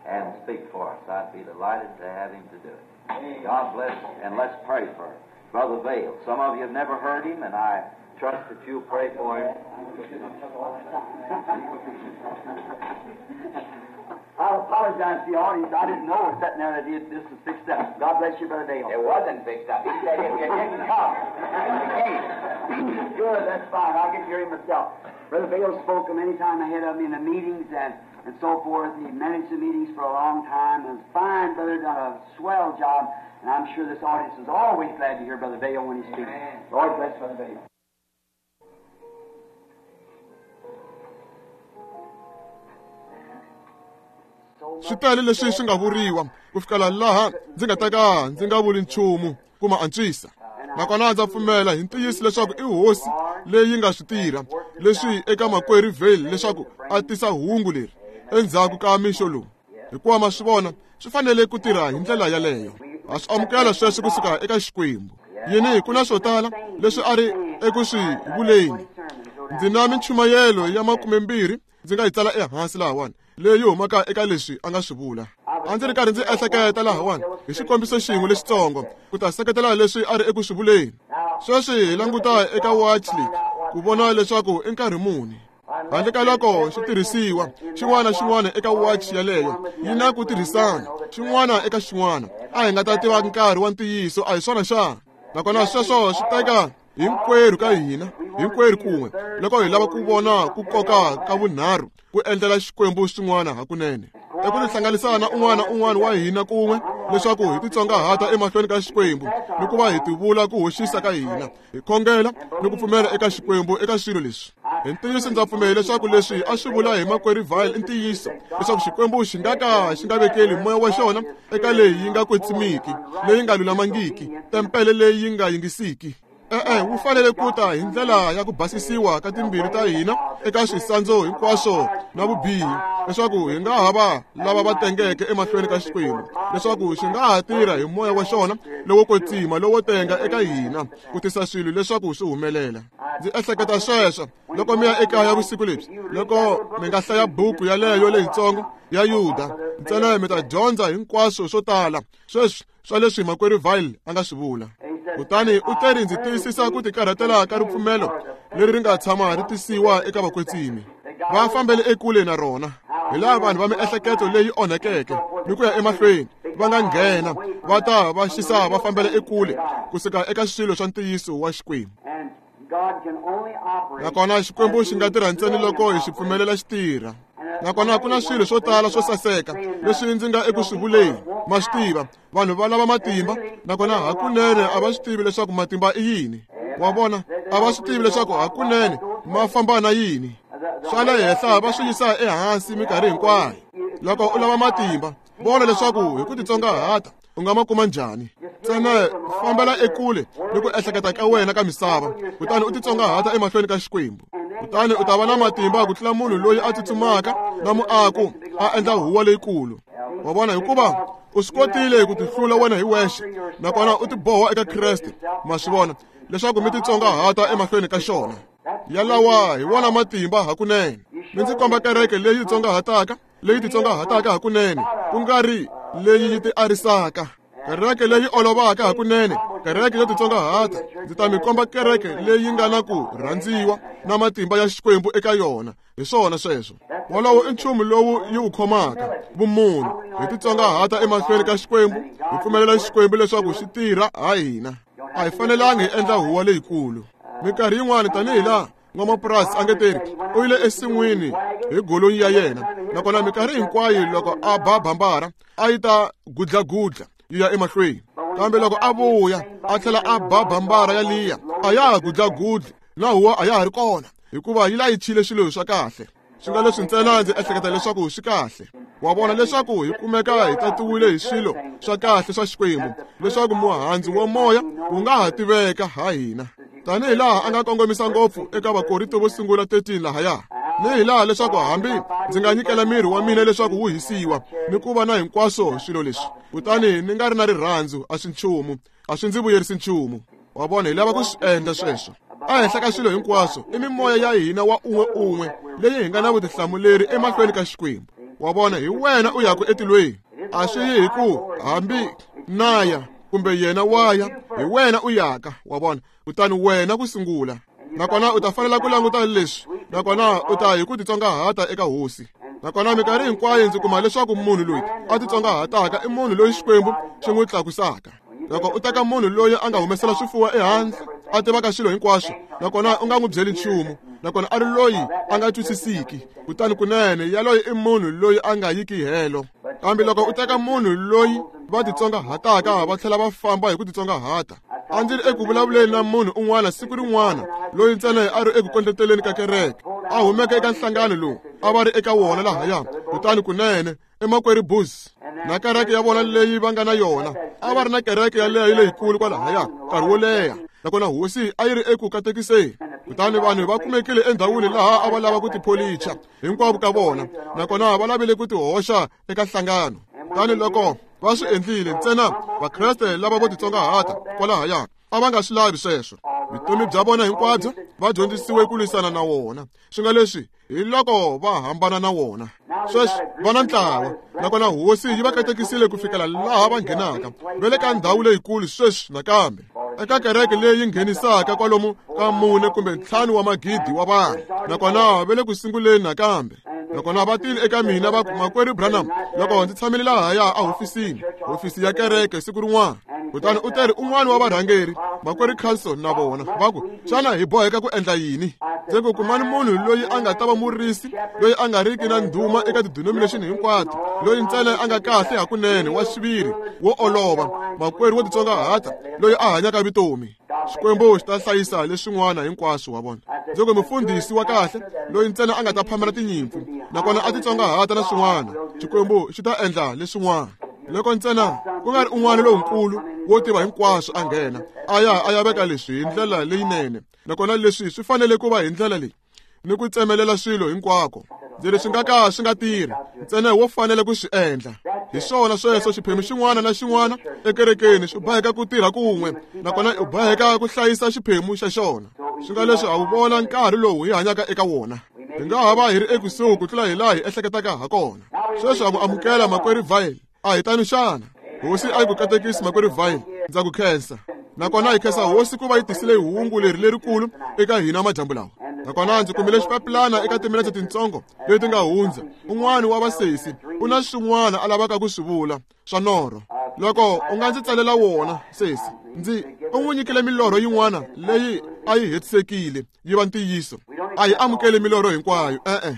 and speak for us, I'd be delighted to have him to do it. God bless, and let's pray for Brother Vayle. Some of you have never heard him, and I trust that you'll pray for him. I apologize to the audience. I didn't know sitting there that this was fixed up. God bless you, Brother Vayle. It wasn't fixed up. He said if you didn't come, you came. Good, that's fine. I'll get to hear him myself. Brother Vayle spoke many times ahead of me in the meetings and so forth. He managed the meetings for a long time. And fine brother, done a swell job. And I'm sure this audience is always glad to hear Brother Vayle when he speaks. Amen. Lord bless Brother Vayle. Swi tele leswi swi nga vuriwa ku fikela laha ndzi nga ta ka ndzi nga vuli nchumu ku ma antswisa. Nakona ndza pfumela hi ntiyiso leswaku i hosi leyi nga swi tirha leswi eka makwerhu Vayle leswaku a tisa hungu leri endzhaku ka mixo lowu. Hikuva ma swi vona swi fanele ku tirha hi ndlela yaleyo. Ha swi amukela sweswo kusuka eka Xikwembu. Yini ku na swo tala leswi a ri eku swi vuleni. Ndzi na minchumayelo ya 20 ndzi nga yi tsala ehansi lahawani leyi humaka eka leswi a nga swi vula. A ndzi ri karhi ndzi ehleketa lahawani hi xikombiso xin'we lexitsongo ku ta seketela leswi a ri eku swi vuleni. Sweswi hi languta eka watch leyi ku vona leswaku i nkarhi muni. Handle ka loko xi tirhisiwa xin'wana na xin'wana eka watch yaleyo yi na ku tirhisana xin'wana eka xin'wana, a hi nga ta tiva nkarhi wa ntiyiso, a hi swona xana? Nakona sweswo swi teka hinkwerhu ka hina, hinkwerhu kun'we, loko hi lava ku vona ku koka ka vunharhu ku endlela Xikwembu swin'wana hakunene. I ku tihlanganisa na un'wana na un'wana wa hina kun'we leswaku hi titsongahata emahlweni ka Xikwembu ni ku va hi tivula ku hoxisa ka hina, hi khongela ni ku pfumela eka Xikwembu eka swilo leswi. Hi ntiyiso ndza pfumela leswaku leswi a swi vula hi makwerhu Vayle i ntiyiso, leswaku Xikwembu xi nga ka xi nga vekeli moya wa xona eka leyi yi nga kwetsimiki, leyi nga lulamangiki, tempele leyi yi nga yingisiki. E-e, wu fanele ku ta hi ndlela ya ku basisiwa ka timbilu ta hina eka swisandzo hinkwaswo na vubihi, leswaku hi nga ha va lava va tengeke emahlweni ka Xikwembu, leswaku xi nga ha tirha hi moya wa xona lowo kwetsima lowo tenga eka hina ku tisa swilo leswaku swi humelela. Ndzi ehleketa sweswo loko mi ya ekaya vusiku lebyi, loko mi nga hlaya buku yaleyo leyitsongo ya Yuda ntsena, mi ta dyondza hinkwaswo swo tala sweswi swa leswi makwerhu Vayle a nga swi vula. Kutani u teri ndzi tiyisisa ku tikarhatela ka ripfumelo leri ri nga tshama ri tisiwa eka vakwetsimi. Va fambele ekule na rona, hi laha vanhu va miehleketo leyi onhakeke ni ku ya emahlweni va nga nghena va ta va xisa va fambela ekule kusuka eka swilo swa ntiyiso wa Xikwembu. Nakona Xikwembu xi nga tirha ntsena loko hi xi pfumelela xi tirha. Nakona ku na swilo swo tala swo saseka leswi ndzi nga eku swi vuleni. Ma swi tiva, vanhu va lava matimba, nakona hakunene a va swi tivi leswaku matimba i yini. Wa vona, a va swi tivi leswaku hakunene ma famba na yini. Swa le henhla va swi yisa ehansi minkarhi hinkwayo. Loko u lava matimba, vona leswaku hi ku titsongahata u nga ma kuma njhani. Ntsena fambela ekule ni ku ehleketa ka wena ka misava, kutani u titsongahata emahlweni ka Xikwembu. Kutani u ta va na matimba ku tlula munhu loyi a tsutsumaka na muako a endla huwa leyikulu. Wa vona, hikuva u swi kotile ku tihlula wena hi wexe, nakona u tiboha eka Kreste. Ma swi vona leswaku mi titsongahata emahlweni ka xona. Yalawa hi wona matimba hakunene. Mi ndzi komba kereke leyi titsongahataka, leyi titsongahataka hakunene, ku nga ri leyi yi tiarisaka. Kereke leyi olovaka hakunene, kereke yo titsongahata. Ndzi ta mi komba kereke leyi nga na ku rhandziwa na matimba ya Xikwembu eka yona. Hi swona sweswo. Wolowo i nchumu lowu yi wu khomaka, vumunhu. Hi titsongahata emahlweni ka Xikwembu, hi pfumelela Xikwembu leswaku xi tirha ha hina. A hi fanelangi hi endla huwa leyikulu. Minkarhi yin'wana tanihi laha n'wamapurasi a nge teri u yile ensin'wini hi golonyi ya yena, nakona minkarhi hinkwayo loko a ba bambara a yi ta gudlagudla yi ya emahlweni, kambe loko a vuya a tlhela a ba bambara yaliya a ya ha gudlagudli na huwa a ya ha ri kona, hikuva yi layichile swilo swa kahle. Swi nga leswi ntsena ndzi ehleketa leswaku swi kahle. Wa vona leswaku hi kumeka hi tatiwile hi swilo swa kahle swa Xikwembu, leswaku muhandzu wa moya wu nga ha tiveka ha hina, tanihi laha a nga kongomisa ngopfu eka Vakorinto vo sungula 13 lahaya, ni hi laha leswaku hambi ndzi nga nyikela miri wa mina leswaku wu hisiwa ni ku va na hinkwaswo swilo leswi, kutani ni nga ri na rirhandzu, a swi nchumu, a swi ndzi vuyerisi nchumu. Wa vona, hi lava ku swi endla sweswo. Ehenhla ka swilo hinkwaswo i mimoya ya hina wa un'we un'we leyi hi nga na vutihlamuleri emahlweni ka Xikwembu. Wa vona, hi wena u yaku etilweni. A swi yi hi ku hambi naya kumbe yena waya, hi wena u yaka. Wa vona, kutani wena ku sungula. Nakona u ta fanela ku languta leswi, nakona u ta hi ku titsongahata eka Hosi. Nakona minkarhi hinkwayo ndzi kuma leswaku munhu loyi a titsongahataka i munhu loyi Xikwembu xi n'wi tlakusaka. Loko u teka munhu loyi a nga humesela swifuwo ehandle, a tivaka swilo hinkwaswo, nakona u nga n'wi byeli nchumu, nakona a ri loyi a nga twisisiki, kutani kunene yaloye i munhu loyi a nga yiki helo. Kambe loko u teka munhu loyi va titsongahataka va tlhela va famba hi ku titsongahata. A ndzi ri eku vulavuleni na munhu un'wana siku rin'wana loyi ntsena a ri eku kondleteleni ka kereke, a humeke eka nhlangano lowu a va ri eka wona lahaya, kutani kunene I makwerhu Booth na kereke ya vona leyi va nga na yona. A va ri na kereke yaleyo leyikulu kwalahaya nkarhi wo leha, nakona hosi a yi ri eku katekiseni. Kutani vanhu va kumekile endhawini laha a va lava ku tipholicha hinkwavo ka vona, nakona va lavile ku tihoxa eka nhlangano. Kutani loko va swi endlile, ntsena Vakreste lava vo titsongahata kwalahaya a va nga swi lavi sweswo. Vutomi bya vona hinkwabyo va dyondzisiwe ku lwisana na wona, swi nga leswi hi loko va hambana na wona. Sweswi va na ntlawa, nakona hosi yi va katekisile ku fikela laha va nghenaka va le ka ndhawu leyikulu sweswi nakambe, eka kereke leyi nghenisaka kwalomu ka 4 kumbe 5 wa magidi wa vanhu, nakona va le ku sunguleni nakambe. Nakona va tile eka mina va ku, Makwerhu Branham, loko ndzi tshamile lahaya ahofisini, hofisi ya kereke siku rin'wana, kutani u teri un'wana wa varhangeri, Makwerhu Carlson na vona, va ku, xana hi boheka ku endla yini? Ndzi ku, kumani munhu loyi a nga ta va murisi, loyi a nga riki na ndhuma eka tidenomination hinkwato, loyi ntsena a nga kahle hakunene, wa xiviri, wo olova, makwerhu wo titsongahata, loyi a hanyaka vutomi. Xikwembu xi ta hlayisa leswin'wana hinkwaswo wa vona. Ndzi ku, mufundhisi wa kahle, loyi ntsena a nga ta phamela tinyimpfu, nakona a titsongahata na swin'wana, Xikwembu xi ta endla leswin'wana. Loko ntsena ku nga ri un'wana lonkulu wo tiva hinkwaswo a nghena, a ya veka leswi hi ndlela leyinene, nakona leswi swi fanele ku va hi ndlela leyi, ni ku tsemelela swilo hinkwako. Ndzi ri swi nga ka swi nga tirhi, ntsena wo fanele ku swi endla. Hi swona sweswo, xiphemu xin'wana na xin'wana ekerekeni swi boheka ku tirha kun'we, nakona u boheka ku hlayisa xiphemu xa xona. Swi nga leswi ha wu vona nkarhi lowu hi hanyaka eka wona. Hi nga ha va hi ri ekusuhi ku tlula hi laha hi ehleketaka ha kona. Sweswi ha ku amukela makwerhu Vail. A hi tano xana? Hosi a yi ku katekisi makwerhu Vail, ndza ku khensa. Nakona hi khensa hosi ku va yi tisile hungu leri lerikulu eka hina madyambu lawa. Nakona ndzi kumile xipapilana eka timinetse tintsongo leti nga hundza. Un'wana wa vasesi u na swin'wana a lavaka ku swi vula swa norho. Loko u nga ndzi tsalela wona, sesi, ndzi u n'wi nyikile milorho yin'wana leyi a yi hetisekile yi va ntiyiso. A hi amukeli milorho hinkwayo, e-e.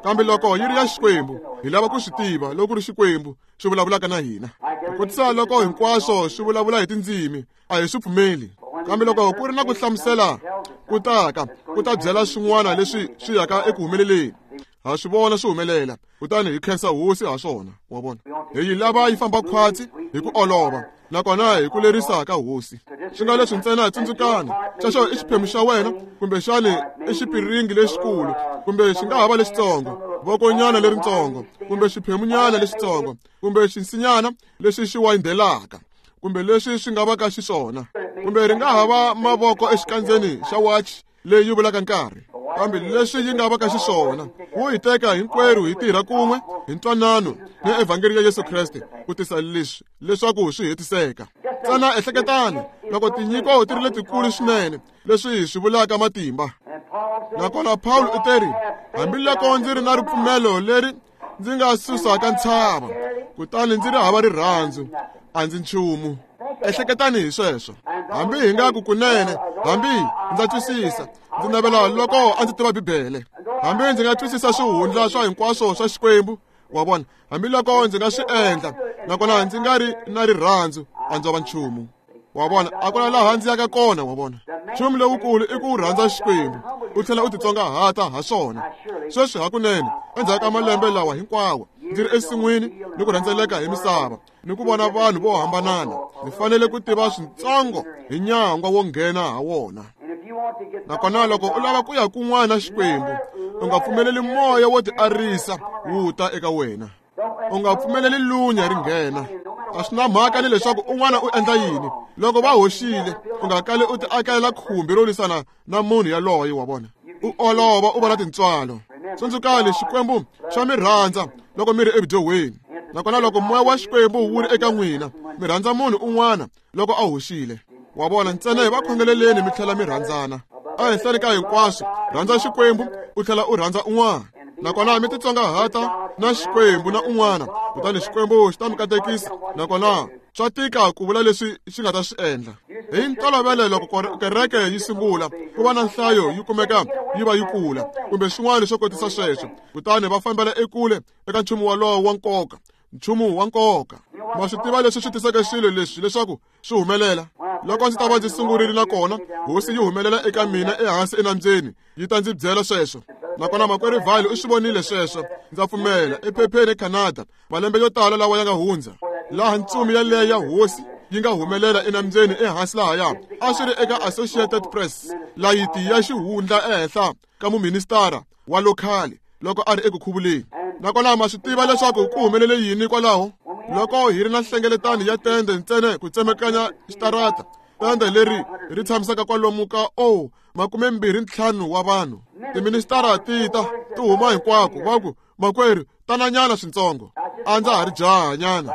Kambe loko yi ri ya Xikwembu, hi lava ku swi tiva loko ku ri Xikwembu xi vulavulaka na hina. Ku kotisa loko hinkwaswo swi vulavula hi tindzimi, a hi swi pfumeli. Kambe loko ku ri na ku hlamusela ku taka, ku ta byela swin'wana leswi swi yaka eku humeleleni, ha swi vona swi humelela, kutani hi khensa hosi ha swona. Wa vona, hi yi lava yi famba khwatsi hi ku olova, nakona hi ku lerisa ka hosi. Swi nga leswi ntsena tsundzukani, xexo i xiphemu xa wena, kumbexani i xipiringi lexikulu, kumbe xi nga ha va lexitsongo, vokonyana leritsongo, kumbe xiphemunyana lexitsongo, kumbe xinsinyana lexi xi wayindelaka, kumbe leswi swi nga vaka xiswona, kumbe ri nga ha va mavoko exikandzeni xa wachi leyi yi vulaka nkarhi. Kambe leswi yi nga vaka xiswona, wu hi teka hinkwerhu hi tirha kun'we hi ntwanano ni evhangeli ya Yesu Kreste ku tisa leswi leswaku swi hetiseka. Ntsena ehleketani loko tinyiko ti ri letikulu swinene, leswi hi swi vulaka matimba. Nakona Paulo u teri, hambiloko ndzi ri na ripfumelo leri ndzi nga susaka ntshava, kutani ndzi ri hava rirhandzu, a ndzi nchumu. Ehleketani hi sweswo. Hambi hi nga ku kunene, hambi ndza twisisa, ndzi navela loko a ndzi tiva Bibele, hambi ndzi nga twisisa swihundla swa hinkwaswo swa Xikwembu, wa vona, hambiloko ndzi nga swi endla, nakona ndzi nga ri na rirhandzu, a ndzo va nchumu. Wa vona, a ku na laha ndzi yaka kona, wa vona. Nchumu lowukulu i ku rhandza Xikwembu, u tlhela u titsongahata ha swona. Sweswi hakunene, endzhaku ka malembe lawa hinkwawo, ndzi ri ensin'wini ni ku rhendzeleka hi misava, ni ku vona vanhu vo hambanana, ndzi fanele ku tiva switsongo hi nyangwa wo nghena ha wona. Nakona loko u lava ku ya kun'wana na Xikwembu, u nga pfumeleli moya wo tiarisa wu ta eka wena. U nga pfumeleli lunya ri nghena. A swi na mhaka ni leswaku un'wana u endla yini. Loko va hoxile, u nga kali u tiakela khumbi ro lwisana na munhu yaloye, wa vona. U olova u va na tintswalo. Tsundzukani, Xikwembu xa mi rhandza loko mi ri evudyohweni. Nakona loko moya wa Xikwembu wu ri eka n'wina, mi rhandza munhu un'wana loko a hoxile. Wa vona, ntsena hi va khongeleleni mi tlhela mi rhandzana. Ehenhleni ka hinkwaswo, rhandza Xikwembu u tlhela u rhandza un'wana. Nakona mi titsongahata na Xikwembu na un'wana, kutani Xikwembu xi ta mi katekisa. Nakona swa tika ku vula leswi xi nga ta swi endla. Hi ntolovelo loko kereke yi sungula, ku va na nhlayo yi kumeka yi va yi kula, kumbe swin'wana swo kotisa sweswo, kutani va fambela ekule eka nchumu walowo wa nkoka, nchumu wa nkoka. Ma swi tiva leswi swi tisaka swilo leswi leswaku swi humelela. Loko ndzi ta va ndzi sungurile nakona hosi yi humelela eka mina ehansi enambyeni, yi ta ndzi byela sweswo. Nakona makwerhu Vale u swi vonile sweswo, ndza pfumela, ephepheni eCanada, malembe yo tala lawa ya nga hundza, laha ntsumi yaleyo ya hosi yi nga humelela enambyeni ehansi lahaya. A swi ri eka Associated Press, layiti ya xihundla ehenhla ka muministara wa lokhali loko a ri eku khuvuleni. Nakona ma swi tiva leswaku ku humelele yini kwalaho? Loko hi ri na nhlengeletano ya tende ntsena ku tsemekanya xitarata, tende leri ri tshamisaka kwalomu ka 25 wa vanhu, tiministara ti ta ti huma hinkwako, va ku, makwerhu, tananyana swintsongo, a ndza ha ri jahanyana,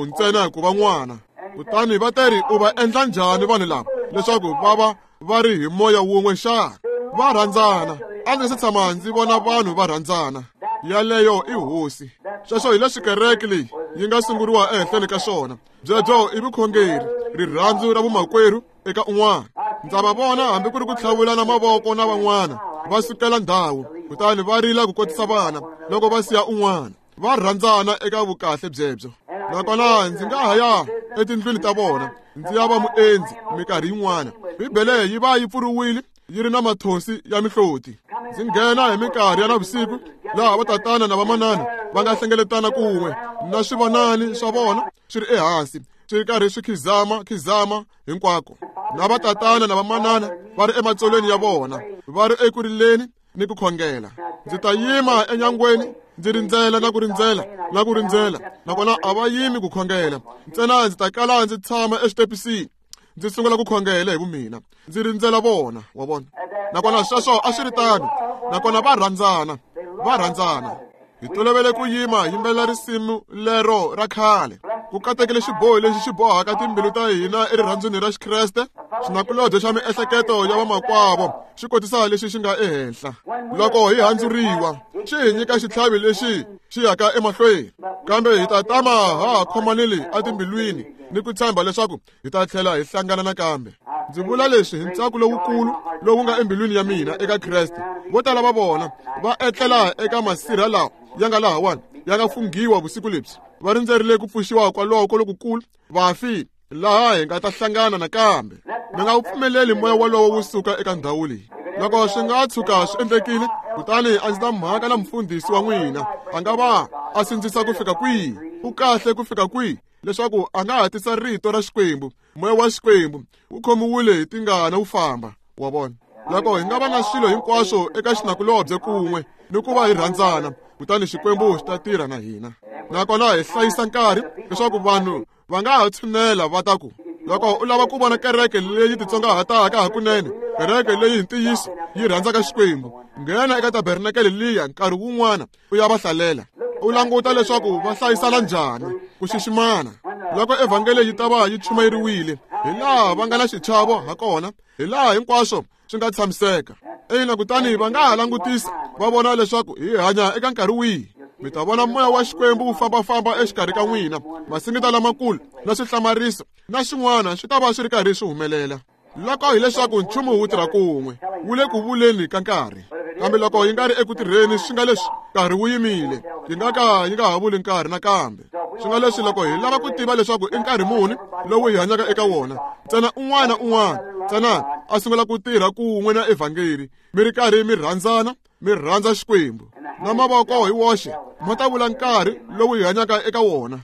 ntsena ku va n'wana. Kutani va teri, u va endla njhani vanhu lava leswaku va va va ri hi moya wun'we xana? Va rhandzana. A ndzi se tshama ndzi vona vanhu va rhandzana. Yaleyo i hosi. Sweswo hi leswi kereke leyi yi nga sunguriwa ehenhleni ka swona. Byebyo i vukhongeri, rirhandzu ra vumakwerhu eka un'wana. Ndza va vona hambi ku ri ku tlhavulana mavoko na van'wana, va sukela ndhawu, kutani va rila ku kotisa vana loko va siya un'wana. Va rhandzana eka vukahle byebyo. Nakona ndzi nga ha ya etindlwini ta vona, ndzi ya va muendzi minkarhi yin'wana. Bibele yi va yi pfuriwile, yi ri na mathonsi ya mihloti. Ndzi nghena hi minkarhi ya navusiku, laha vatatana na vamanana va nga hlengeletana kun'we na swivonani swa vona swi ri ehansi, swi ri karhi swi khizama khizama hinkwako, na vatatana na vamanana va ri ematsolweni ya vona, va ri eku rileni ni ku khongela. Ndzi ta yima enyangweni ndzi rindzela na ku rindzela na ku rindzela, nakona a va yimi ku khongela. Ntsena ndzi ta kala ndzi tshama exitepisini, ndzi sungula ku khongela hi vumina, ndzi rindzela vona, wa vona. Nakona sweswo a swi ri tano, nakona va rhandzana, va rhandzana. Hi tolovele ku yima yimbelela risimu lero ra khale, ku katekile xiboho lexi xi bohaka timbilu ta hina erirhandzwini ra Xikreste, xinakulobye xa miehleketo ya vamakwavo xi kotisa lexi xi nga ehenhla. Loko hi handzuriwa, xi hi nyika xitlhavi lexi xi yaka emahlweni, kambe hi ta tama ha khomanile etimbilwini ni ku tshemba leswaku hi ta tlhela hi hlangana nakambe. Ndzi vula leswi hi ntsako lowukulu lowu nga embilwini ya mina eka Kreste. Vo tala va vona va etlela eka masirha lawa ya nga lahawani, ya nga funghiwa vusiku lebyi, va rindzerile ku pfuxiwa kwaloko lokukulu vafi, laha hi nga ta hlangana nakambe. Mi nga wu pfumeleli moya wolowo wu suka eka ndhawu leyi. Loko swi nga tshuka swi endlekile, kutani a ndzi ta mhaka na mufundhisi wa n'wina, a nga va a sindzisa ku fika kwihi, u kahle ku fika kwihi, leswaku a nga hatisa rito ra Xikwembu. Moya wa Xikwembu wu khomiwile hi tingana wu famba, wa vona. Loko hi nga va na swilo hinkwaswo eka xinakulobye kun'we ni ku va hi rhandzana, kutani Xikwembu xi ta tirha na hina. Nakona hi hlayisa nkarhi leswaku vanhu va nga ha tshunela va ta ku, loko u lava ku vona kereke leyi titsongahataka hakunene, kereke leyi hi ntiyiso yi rhandzaka Xikwembu, nghena eka tabernakele liya nkarhi wun'wana u ya va hlalela, u languta leswaku va hlayisana njhani, ku xiximana. Loko evhangeli yi ta va yi chumayeriwile, hi laha va nga na xichavo ha kona, hi laha hinkwaswo swi nga tshamiseka. Ina, kutani va nga ha langutisa va vona leswaku hi hanya eka nkarhi wihi. Mi ta vona moya wa Xikwembu wu fambafamba exikarhi ka n'wina, masingita lamakulu na swihlamariso na swin'wana swi ta va swi ri karhi swi humelela. Loko hileswaku nchumu wu tirha kun'we, wu le ku vuleni ka nkarhi. Kambe loko yi nga ri eku tirheni, swi nga leswi nkarhi wu yimile, yi nga ka yi nga ha vuli nkarhi nakambe. Swi nga leswi loko hi lava ku tiva leswaku i nkarhi muni lowu hi hanyaka eka wona, ntsena un'wana na un'wana ntsena a sungula ku tirha kun'we na evhangeli, mi ri karhi mi rhandzana, mi rhandza Xikwembu, na mavoko hi woxe ma ta vula nkarhi lowu hi hanyaka eka wona.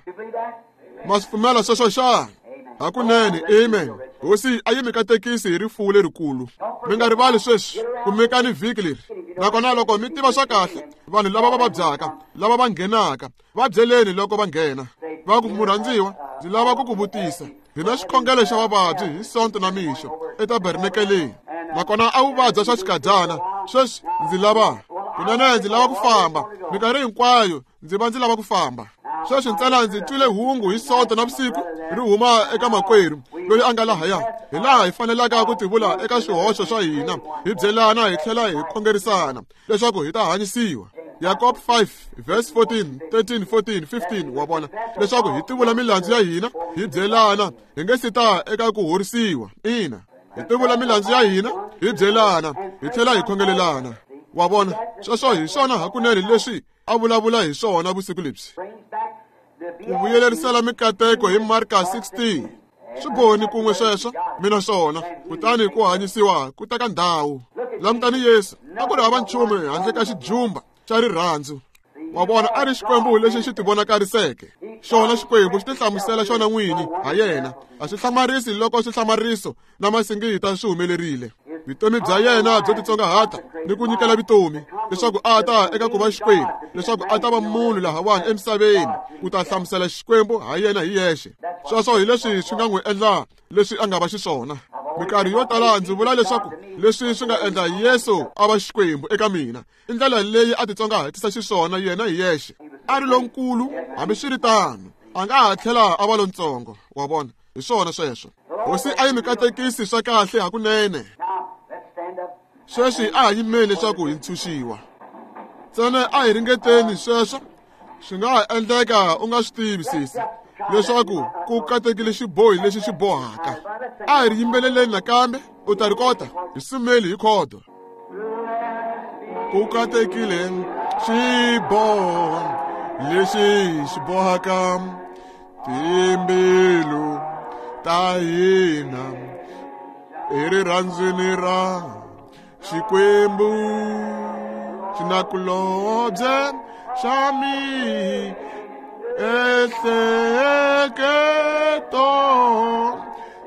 Ma swi pfumela sweswo xana? Hakunene, amen. Hosi a yi mi katekisi hi rifuwo lerikulu. Mi nga rivali sweswi kumekani vhiki leri. Nakona loko mi tiva swa kahle vanhu lava va vabyaka, lava va nghenaka, va byeleni loko va nghena, va ku, murhandziwa, ndzi lava ku ku vutisa, hi na xikhongelo xa vavabyi hi Sonto na mixo etabernakeleni, nakona a wu vabya swa xikadyana. Sweswi ndzi lava kunene ndzi lava ku famba. Minkarhi hinkwayo ndzi va ndzi lava ku famba. Sweswi ntsena ndzi twile hungu hi Sonto na vusiku ri huma eka makwerhu loyi a nga lahaya, hi laha hi fanelaka ku tivula eka swihoxo swa hina, hi byelana hi tlhela hi khongerisana leswaku hi ta hanyisiwa. Yakob 5 verse 14, 13, 14, 15, wa vona, leswaku hi tivula milandzu ya hina, hi byelana, hi nge si ta eka ku horisiwa. Ina, hi tivula milandzu ya hina, hi byelana, hi tlhela hi khongelelana. Wa vona, sweswo hi swona hakunene leswi a vulavula hi swona vusiku lebyi. Ku vuyelerisela mikateko hi Marka 16. Swi boni kun'we sweswo, mina swona, kutani ku hanyisiwa ku teka ndhawu. Langutani Yesu, a ku ri hava nchumu handle ka xijumba xa rirhandzu. Wa vona, a ri Xikwembu lexi xi tivonakariseke. Xona Xikwembu xi tihlamusela xona n'wini ha yena. A swi hlamarisi loko swihlamariso na masingita swi humelerile. Vutomi bya yena byo titsongahata ni ku nyikela vutomi leswaku a ta eka ku va Xikwembu, leswaku a ta va munhu lahawani emisaveni ku ta hlamusela Xikwembu ha yena hi yexe. Sweswo hi leswi swi nga n'wi endla leswi a nga va xiswona. Minkarhi yo tala ndzi vula leswaku leswi swi nga endla Yesu a va Xikwembu eka mina i ndlela leyi a titsongahatisa xiswona yena hi yexe. A ri lonkulu, hambiswiritano a nga ha tlhela a va lontsongo. Wa vona, hi swona sweswo. Hosi a yi mi katekisi swa kahle hakunene. Sweswi a ha yimeli leswaku hi ntshunxiwa. Ntsena a hi ringeteni sweswo. Swi nga ha endleka u nga swi tivi sesi leswaku ku katekile xibohi lexi xi bohaka. A hi ri yimbeleleni nakambe, u ta ri kota hi sumeli hi khodo. Ku katekile xiboho lexi xi bohaka timbilu ta hina erirhandzwini ra Xikwembu. Xinakulobye xa miehleketo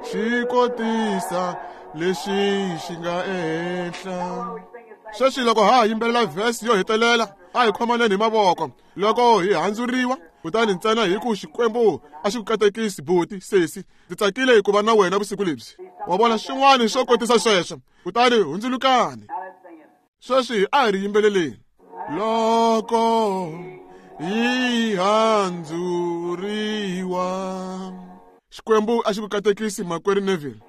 xi kotisa lexi xi nga ehenhla. Sweswi loko ha ha yimbelela vhesi yo hetelela, a hi khomaneni hi mavoko loko hi handzuriwa, kutani ntsena hi ku Xikwembu a xi ku katekisi buti, sesi. Ndzi tsakile ku va na wena vusiku lebyi. Wa vona, swin'wana swo kotisa sweswo. Kutani hundzulukani. Sweswi a hi ri yimbeleleni. Loko hi handzuriwa. Xikwembu a xi ku katekisi makwerhu Neville.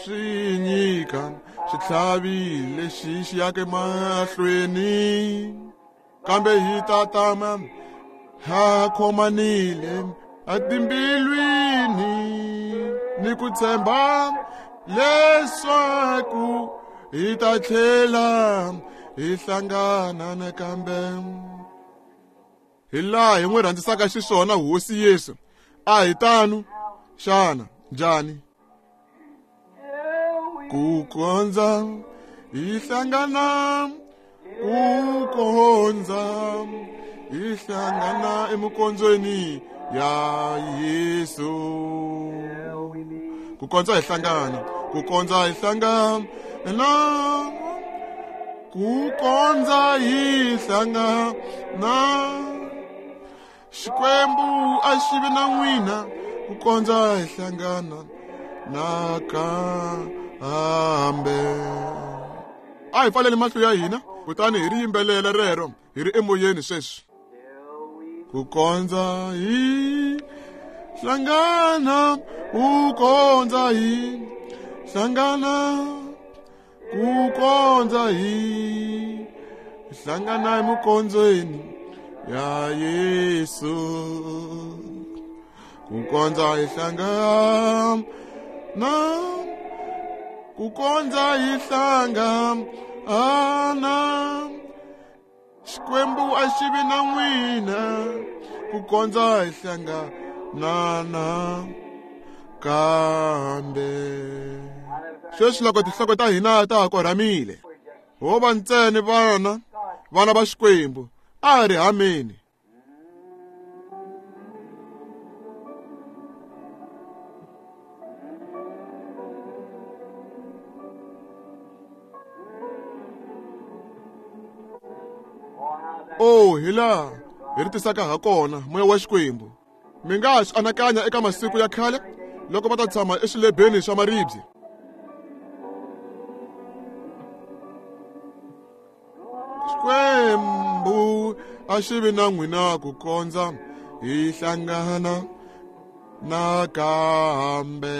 Swi nyika xitlhavi lexi xi yaka emahlweni, kambe hi ta tama ha khomanile etimbilwini ni ku tshemba leswaku hi ta tlhela hi hlangana nakambe. Hi laha hi n'wi rhandzisaka xiswona Hosi Yesu. A hi tano xana? Njhani? Ku kondza hi hlangana, ku kondza hi hlangana emikondzweni ya Yesu. Ku kondza hi hlangana, ku kondza hi hlangana, ku kondza hi hlangana. Xikwembu a xi vi na n'wina ku kondza hi hlangana nakambe. A hi pfaleni mahlo ya hina kutani hi ri yimbelela rero hi ri emoyeni sweswi. Ku kondza hi hlangana, ku kondza hi hlangana, ku kondza hi hlangana emikondzweni ya Yesu. Ku kondza hi hlangana, ku kondza hi hlangana. Xikwembu a xi vi na n'wina ku kondza hi hlangana kambe. Sweswi loko tinhloko ta hina ta ha korhamile, ho va ntsena vana va Xikwembu, a hi ri hameni. Oh, hi laha hi ri tisaka ha kona moya wa Xikwembu. Mi nga ha swi anakanya eka masiku ya khale loko va ta tshama eswilebeni swa maribye. Xikwembu a xi vi na n'wina ku kondza hi hlangana nakambe.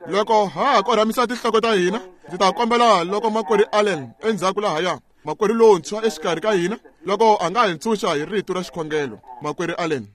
Loko ha ha korhamisa tinhloko ta hina, ndzi ta kombela loko makwerhu Allen endzhaku lahaya, makwerhu lontshwa exikarhi ka hina, loko a nga hi ntshunxa hi rito ra xikhongelo. Makwerhu Allen.